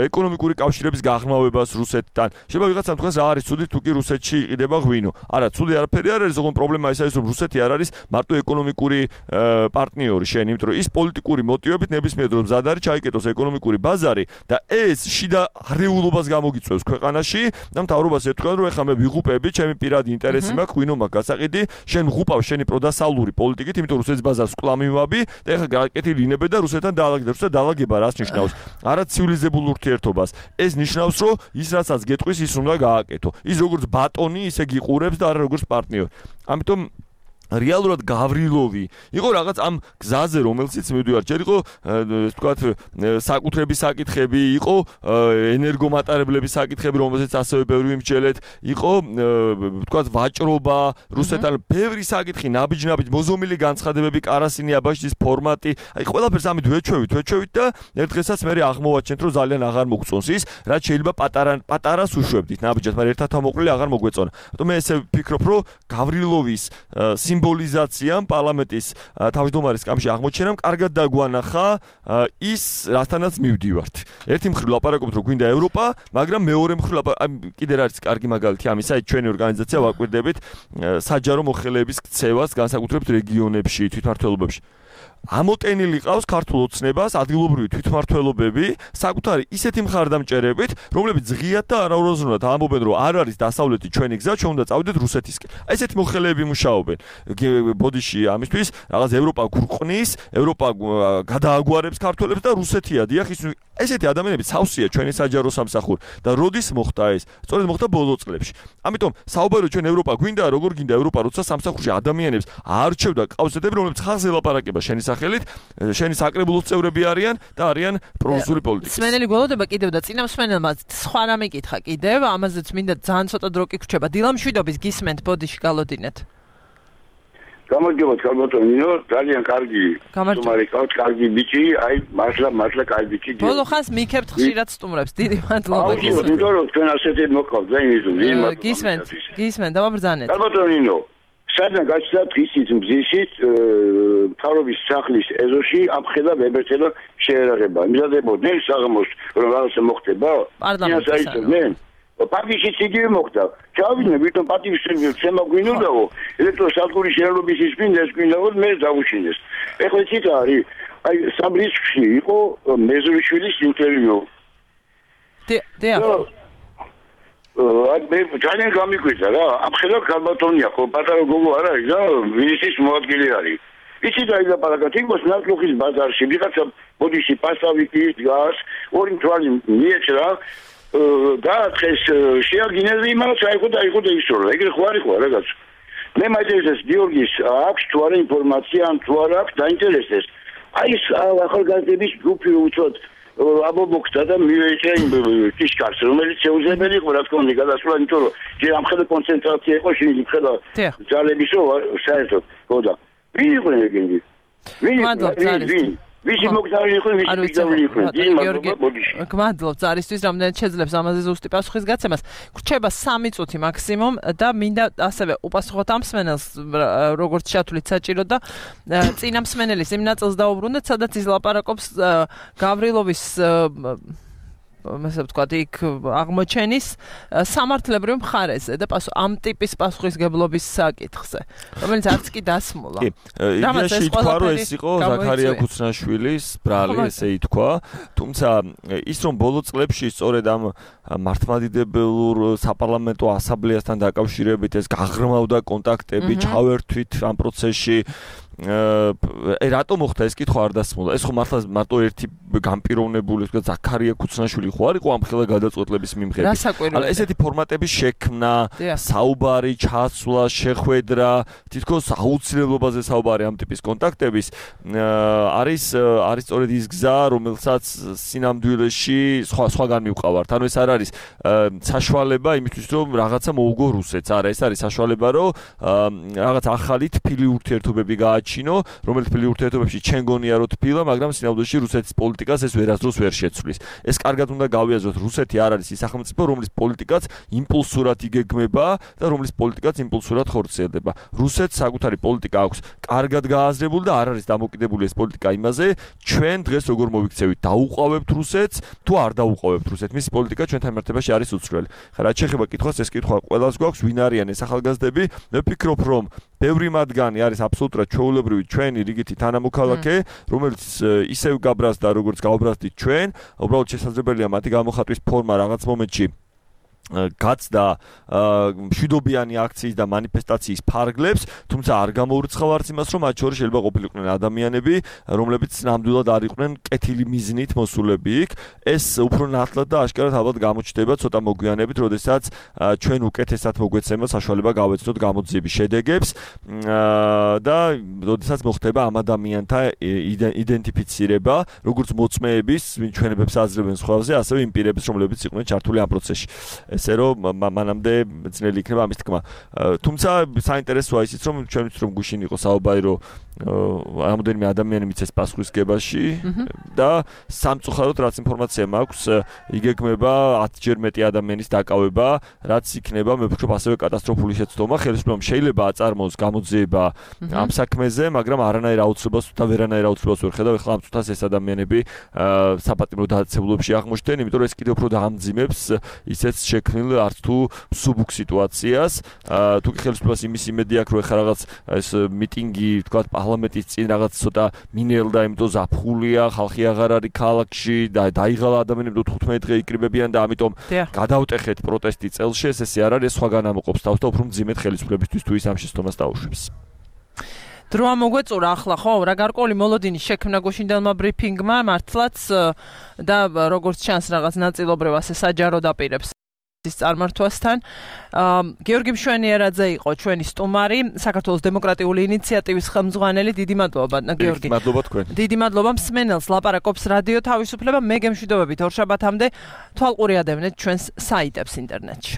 ეკონომიკური კავშირების გაღრმავებას რუსეთთან. შეიძლება ვიღაცამ თქვას რა არის ცუდი თუ კი რუსეთში იყიდება ღვინო. არა, ცუდი არაფერი არ არის, ოღონდ პრობლემა ის არის, რომ რუსეთი არ არის მარტო ეკონომიკური პარტნიორი შენ, იმიტომ რომ ის პოლიტიკური მოტივებით ნებისმიერ დროს მზად არის ჩაიკეტოს ეკონომიკური ბაზარი და ეს შიდა არეულობას გამოგიწევს ქვეყანაში და მთავრობას ეთქვა რომ ეხლა მე ვიღუპები, ჩემი პირადი ინტერესი მაქვს, ღვინო მაქვს გასაყიდი, შენ ვღუპავ შენი პროდასავლური პოლიტიკით, იმიტომ რომ რუსეთის ბაზარს კლამივაბი და ეხლა გაკეთილი ინებე და რუსეთთან დაალაგდება. რუსეთთან დაალაგება რას ნიშნავს? არა ცივილიზებულ ურთიერთობას. ეს ნიშნავს რომ ის რასაც გეტყვის ის უნდა გააკეთო. ის როგორც ბატონი ისე გიყურებს და არა როგორც პარტნიორი. ამიტომ რეალურად გავრილოვი იყო რაღაც ამ გზაზე, რომელშიც მივდივარ. ჯერ იყო ეს ვთქვათ საკუთრების საკითხები, იყო ენერგომატარებლების საკითხები, რომელზეც ასევე ბევრი ვიმსჯელეთ, იყო ვთქვათ ვაჭრობა, რუსეთთან ბევრი საკითხი, ნაბიჯ-ნაბიჯ, მოზომილი განცხადებები, კარასინი აბაშიძის ფორმატი. აი ყველაფერს ამით ვეჩვევით, ვეჩვევით და ერთ დღესაც მე აღმოვაჩენთ, რომ ძალიან აღარ მოგწონს ის, რაც შეიძლება პატარა პატარას უშვებდით ნაბიჯად, მაგრამ ერთად ამოყრილი აღარ მოგვეწონა. ამიტომ მე ესე ვფიქრობ, რომ გავრილოვის სიმბოლიზაციამ პარლამენტის თავმჯდომარის სკამში აღმოჩენამ კარგად დაგვანახა ის, რასთანაც მივდივართ. ერთი მხრივ ლაპარაკობთ, რომ გვინდა ევროპა, მაგრამ მეორე მხრივ კიდე რა არის კარგი მაგალითი ამისა, ჩვენი ორგანიზაცია ვაკვირდებით საჯარო მოხელეების ქცევას განსაკუთრებით რეგიონებში, თვითმმართველობებში. ამოტენილი ყავს ქართულ ოცნებას ადგილობრივი თვითმმართველობები საკუთარი ისეთი მხარდამჭერებით, რომლებიც ღიად და არაურაზრუნად ამბობენ, რომ არ არის დასავლეთი ჩვენი გზა, ჩვენ უნდა წავიდეთ რუსეთისკენ. აი ესეთი მოხელეები მუშაობენ. ბოდიში ამისთვის რაღაც ევროპა გურყნის, ევროპა გადააგვარებს ქართველებს და რუსეთია დიახ ის ესეთი ადამიანები სავსეა ჩვენი საჯარო სამსახური და როდის მოხდა ეს? სწორედ მოხდა ბოლო წლებში. ამიტომ საუბარო ჩვენ ევროპა გვინდა, როგორ გინდა ევროპა, როცა სამსახურში ადამიანებს აარჩევდა ყავსეთები, რომლებიც ხალხზე ელაპარაკება შენი სახელით, შენი საკრებულოს წევრები არიან და არიან პრორუსული პოლიტიკა. სმენელი გველოდება კიდევ და წინა მსმენელმა სხვა რამე კითხა კიდევ, ამაზეც მინდა ძალიან ცოტა დრო კი გრჩება. დილამშვიდობის გისმენთ, ბოდიში გალოდინეთ. გამარჯობათ, ქალბატონო, ძალიან კარგი სტუმარი ყავთ, კარგი ბიჭი, აი მართლა მართლა კარგი ბიჭი. ბოლო ხანს მიქებთ ხშირად სტუმრებს, დიდი მადლობა. გისმენთ, იმიტომ რომ თქვენ ასეთი მოყავთ, ზეიმიზუ, გისმენთ, გისმენთ, დავაბრძანეთ. ქალბატონო, სადღაც გაჩნდა დღისით მზისით, მთავრობის სახლის ეზოში ამხედა ვებერტელა შეერაღება. მიზადებოდნენ საღამოს, რომ რაღაცა მოხდება? პარლამენტში. პარტიის იგივე მოხდა. ჩავიდნენ, ვიტომ პარტიის შემა გვინდაო, ელექტროსადგურის შეერობის ის გვინდა, ეს გვინდაო, მე დავუშინდეს. ეხლა ცით არის, აი სამრისკში იყო მეზურიშვილის ინტერვიუ. დიახ. აი მე ძალიან გამიკვირდა რა, ამხედა ქალბატონია, ხო, პატარა გოგო არ არის და მინისტრის მოადგილე არის. იცი დაილაპარაკა თითქოს ნაკლუხის ბაზარში, ვიღაცა ბოდიში პასავიკი დგას, ორი მთვალი მიეჭრა და დღეს შეაგინეს იმას აიღო და აიღო და ისწორა. ეგრე ხო არის ხო რაღაც. მე მაინტერესებს გიორგის აქვს თუ არა ინფორმაცია, ან თუ არა აქვს დაინტერესდეს. აი ეს ახალგაზრდების ჯგუფი უცოდ აბობოქდა და მივეჭრა იმ ტიშკარს, რომელიც შეუძლებელი იყო რა თქმა უნდა გადასვლა, იმიტომ რომ ჯერ ამხედა კონცენტრაცია იყო, შეიძლება ხედა ძალებისო საერთოდ, ხო და ვინ იყო ეგენი? ვინ? ვინ? ვისი მოგზაური იყო, ვისი მიგზაური იყო. დიდი მადლობა ბოდიში. გმადლობთ არისთვის, რამდენად შეძლებს ამაზე ზუსტი პასუხის გაცემას. გრჩება სამი წუთი მაქსიმუმ და მინდა ასევე უპასუხოთ ამ მსმენელს, როგორც ჩათვლით საჭირო და წინა მსმენელის იმ ნაწილს დაუბრუნდეთ, სადაც ის ლაპარაკობს გავრილოვის ასე ვთქვათ, იქ აღმოჩენის სამართლებრივ მხარეზე და პასუხ ამ ტიპის პასუხისგებლობის საკითხზე, რომელიც არც კი დასმულა. კი, იდეაში ითქვა, რომ ეს იყო ზაქარია ქუცნაშვილის ბრალი, ესე ითქვა, თუმცა ის რომ ბოლო წლებში სწორედ ამ მართლმადიდებელ საპარლამენტო ასამბლეასთან დაკავშირებით ეს გაღრმავდა კონტაქტები, ჩავერთვით ამ პროცესში. აი რატო მოხდა ეს კითხვა არ დასმულა? ეს ხო მართლა მარტო ერთი განპირობებული, თქვა ზაქარია ქუცნაშვილი ხო არ იყო ამ ხელა გადაწყვეტილების მიმღები. αλλά ესეთი ფორმატების შექმნა, საუბარი, ჩასვლა, შეხვედრა, თითქოს აუცილებლობაზე საუბარი ამ ტიპის კონტაქტების არის არის სწორედ ის გზა, რომელსაც სინამდვილეში სხვა სხვაგან მივყავართ. ანუ ეს არ არის საშუალება იმისთვის, რომ რაღაცა მოუგო რუსეთს. არა, ეს არის საშუალება, რომ რაღაც ახალი თბილი ურთიერთობები გააჩინოს, რომელიც თბილი ურთიერთობებში ჩვენ გონია რომ თბილა, მაგრამ სინამდვილეში რუსეთის პოლიტიკას ეს ვერასდროს ვერ შეცვლის. ეს კარგად უნდა გავიაზროთ, რუსეთი არ არის ის სახელმწიფო, რომლის პოლიტიკაც იმპულსურად იგეგმება და რომლის პოლიტიკაც იმპულსურად ხორციელდება. რუსეთს საკუთარი პოლიტიკა აქვს კარგად გააზრებული და არ არის დამოკიდებული ეს პოლიტიკა იმაზე, ჩვენ დღეს როგორ მოვიქცევით, დაუყავებთ რუსეთს თუ არ დაუყავებთ რუსეთს. მისი პოლიტიკა ჩვენთან მიმართებაში არის უცვლელი. ხა რაც შეეხება კითხვას, ეს კითხვა ყველას გვაქვს, ვინ არიან ეს ახალგაზრდები? მე ვფიქრობ, რომ ბევრი მათგანი არის აბსოლუტურად ჩვეულებრივი ჩვენი რიგითი თანამოქალაქე, რომელიც ისევ გაბრაზდა, როგორც გავბრაზდით ჩვენ, უბრალოდ შესაძლებელია მათი გამოხატვის ფორმა რაღაც მომენტში გაცდა მშვიდობიანი აქციის და მანიფესტაციის ფარგლებს, თუმცა არ გამოურიცხავ არც იმას, რომ მათ შორის შეიძლება ყოფილიყვნენ ადამიანები, რომლებიც ნამდვილად არ იყვნენ კეთილი მიზნით მოსულები იქ. ეს უფრო ნათლად და აშკარად ალბათ გამოჩნდება ცოტა მოგვიანებით, როდესაც ჩვენ უკეთესად მოგვეცემა საშუალება გავეცნოთ გამოძიების შედეგებს და როდესაც მოხდება ამ ადამიანთა იდენტიფიცირება, როგორც მოწმეების, ვინ ჩვენებებს აძლევენ სხვაზე, ასევე იმ პირების, რომლებიც იყვნენ ჩართული ამ პროცესში. ესე რომ მანამდე ძნელი იქნება ამის თქმა. თუმცა საინტერესოა ისიც, რომ ჩვენ ვიცით, რომ გუშინ იყო საუბარი, რომ რამოდენიმე ადამიანი მიცეს პასუხისგებაში და სამწუხაროდ რაც ინფორმაცია მაქვს, იგეგმება ათჯერ მეტი ადამიანის დაკავება, რაც იქნება, მე ვფიქრობ, ასევე კატასტროფული შეცდომა. ხელისუფლებამ შეიძლება აწარმოოს გამოძიება ამ საქმეზე, მაგრამ არანაირ აუცილებლობას და ვერანაირ აუცილებლობას ვერ ხედავ. ეხლა ამ წუთას ეს ადამიანები საპატიმრო დაწესებულებებში აღმოჩნდნენ, იმიტომ რომ ეს კიდევ უფრო დაამძიმებს ისეთ შექმნილ არც თუ სუბუქ სიტუაციას. თუ კი ხელისუფლებას იმის იმედი აქვს, რომ ეხლა რაღაც ეს მიტინგი, თქვა პარლამენტის წინ რაღაც ცოტა მინელდა, იმიტომ ზაფხულია, ხალხი აღარ არის ქალაქში და დაიღალა ადამიანები თხუთმეტი დღე იკრიბებიან და ამიტომ გადავტეხეთ პროტესტი წელში, ეს ესე არ არის, სხვაგან ამოყოფს თავს და უფრო მძიმედ ხელისუფლებისთვის თუ ის ამ შეცდომას დაუშვებს. დრო ამოგვეწურა ახლა ხო რა გარკვეული მოლოდინის შექმნა გუშინდელმა ბრიფინგმა მართლაც და როგორც ჩანს რაღაც ნაწილობრივ ასე საჯარო დაპირებს ის წარმართვასთან. გიორგი მშვენიერაძე იყო ჩვენი სტუმარი, საქართველოს დემოკრატიული ინიციატივის ხელმძღვანელი. დიდი მადლობა გიორგი. მადლობა თქვენ. დიდი მადლობა მსმენელს, ლაპარაკობს რადიო თავისუფლება. მე გემშვიდობებით ორ შაბათამდე თვალყური ადევნეთ ჩვენს საიტებს ინტერნეტში.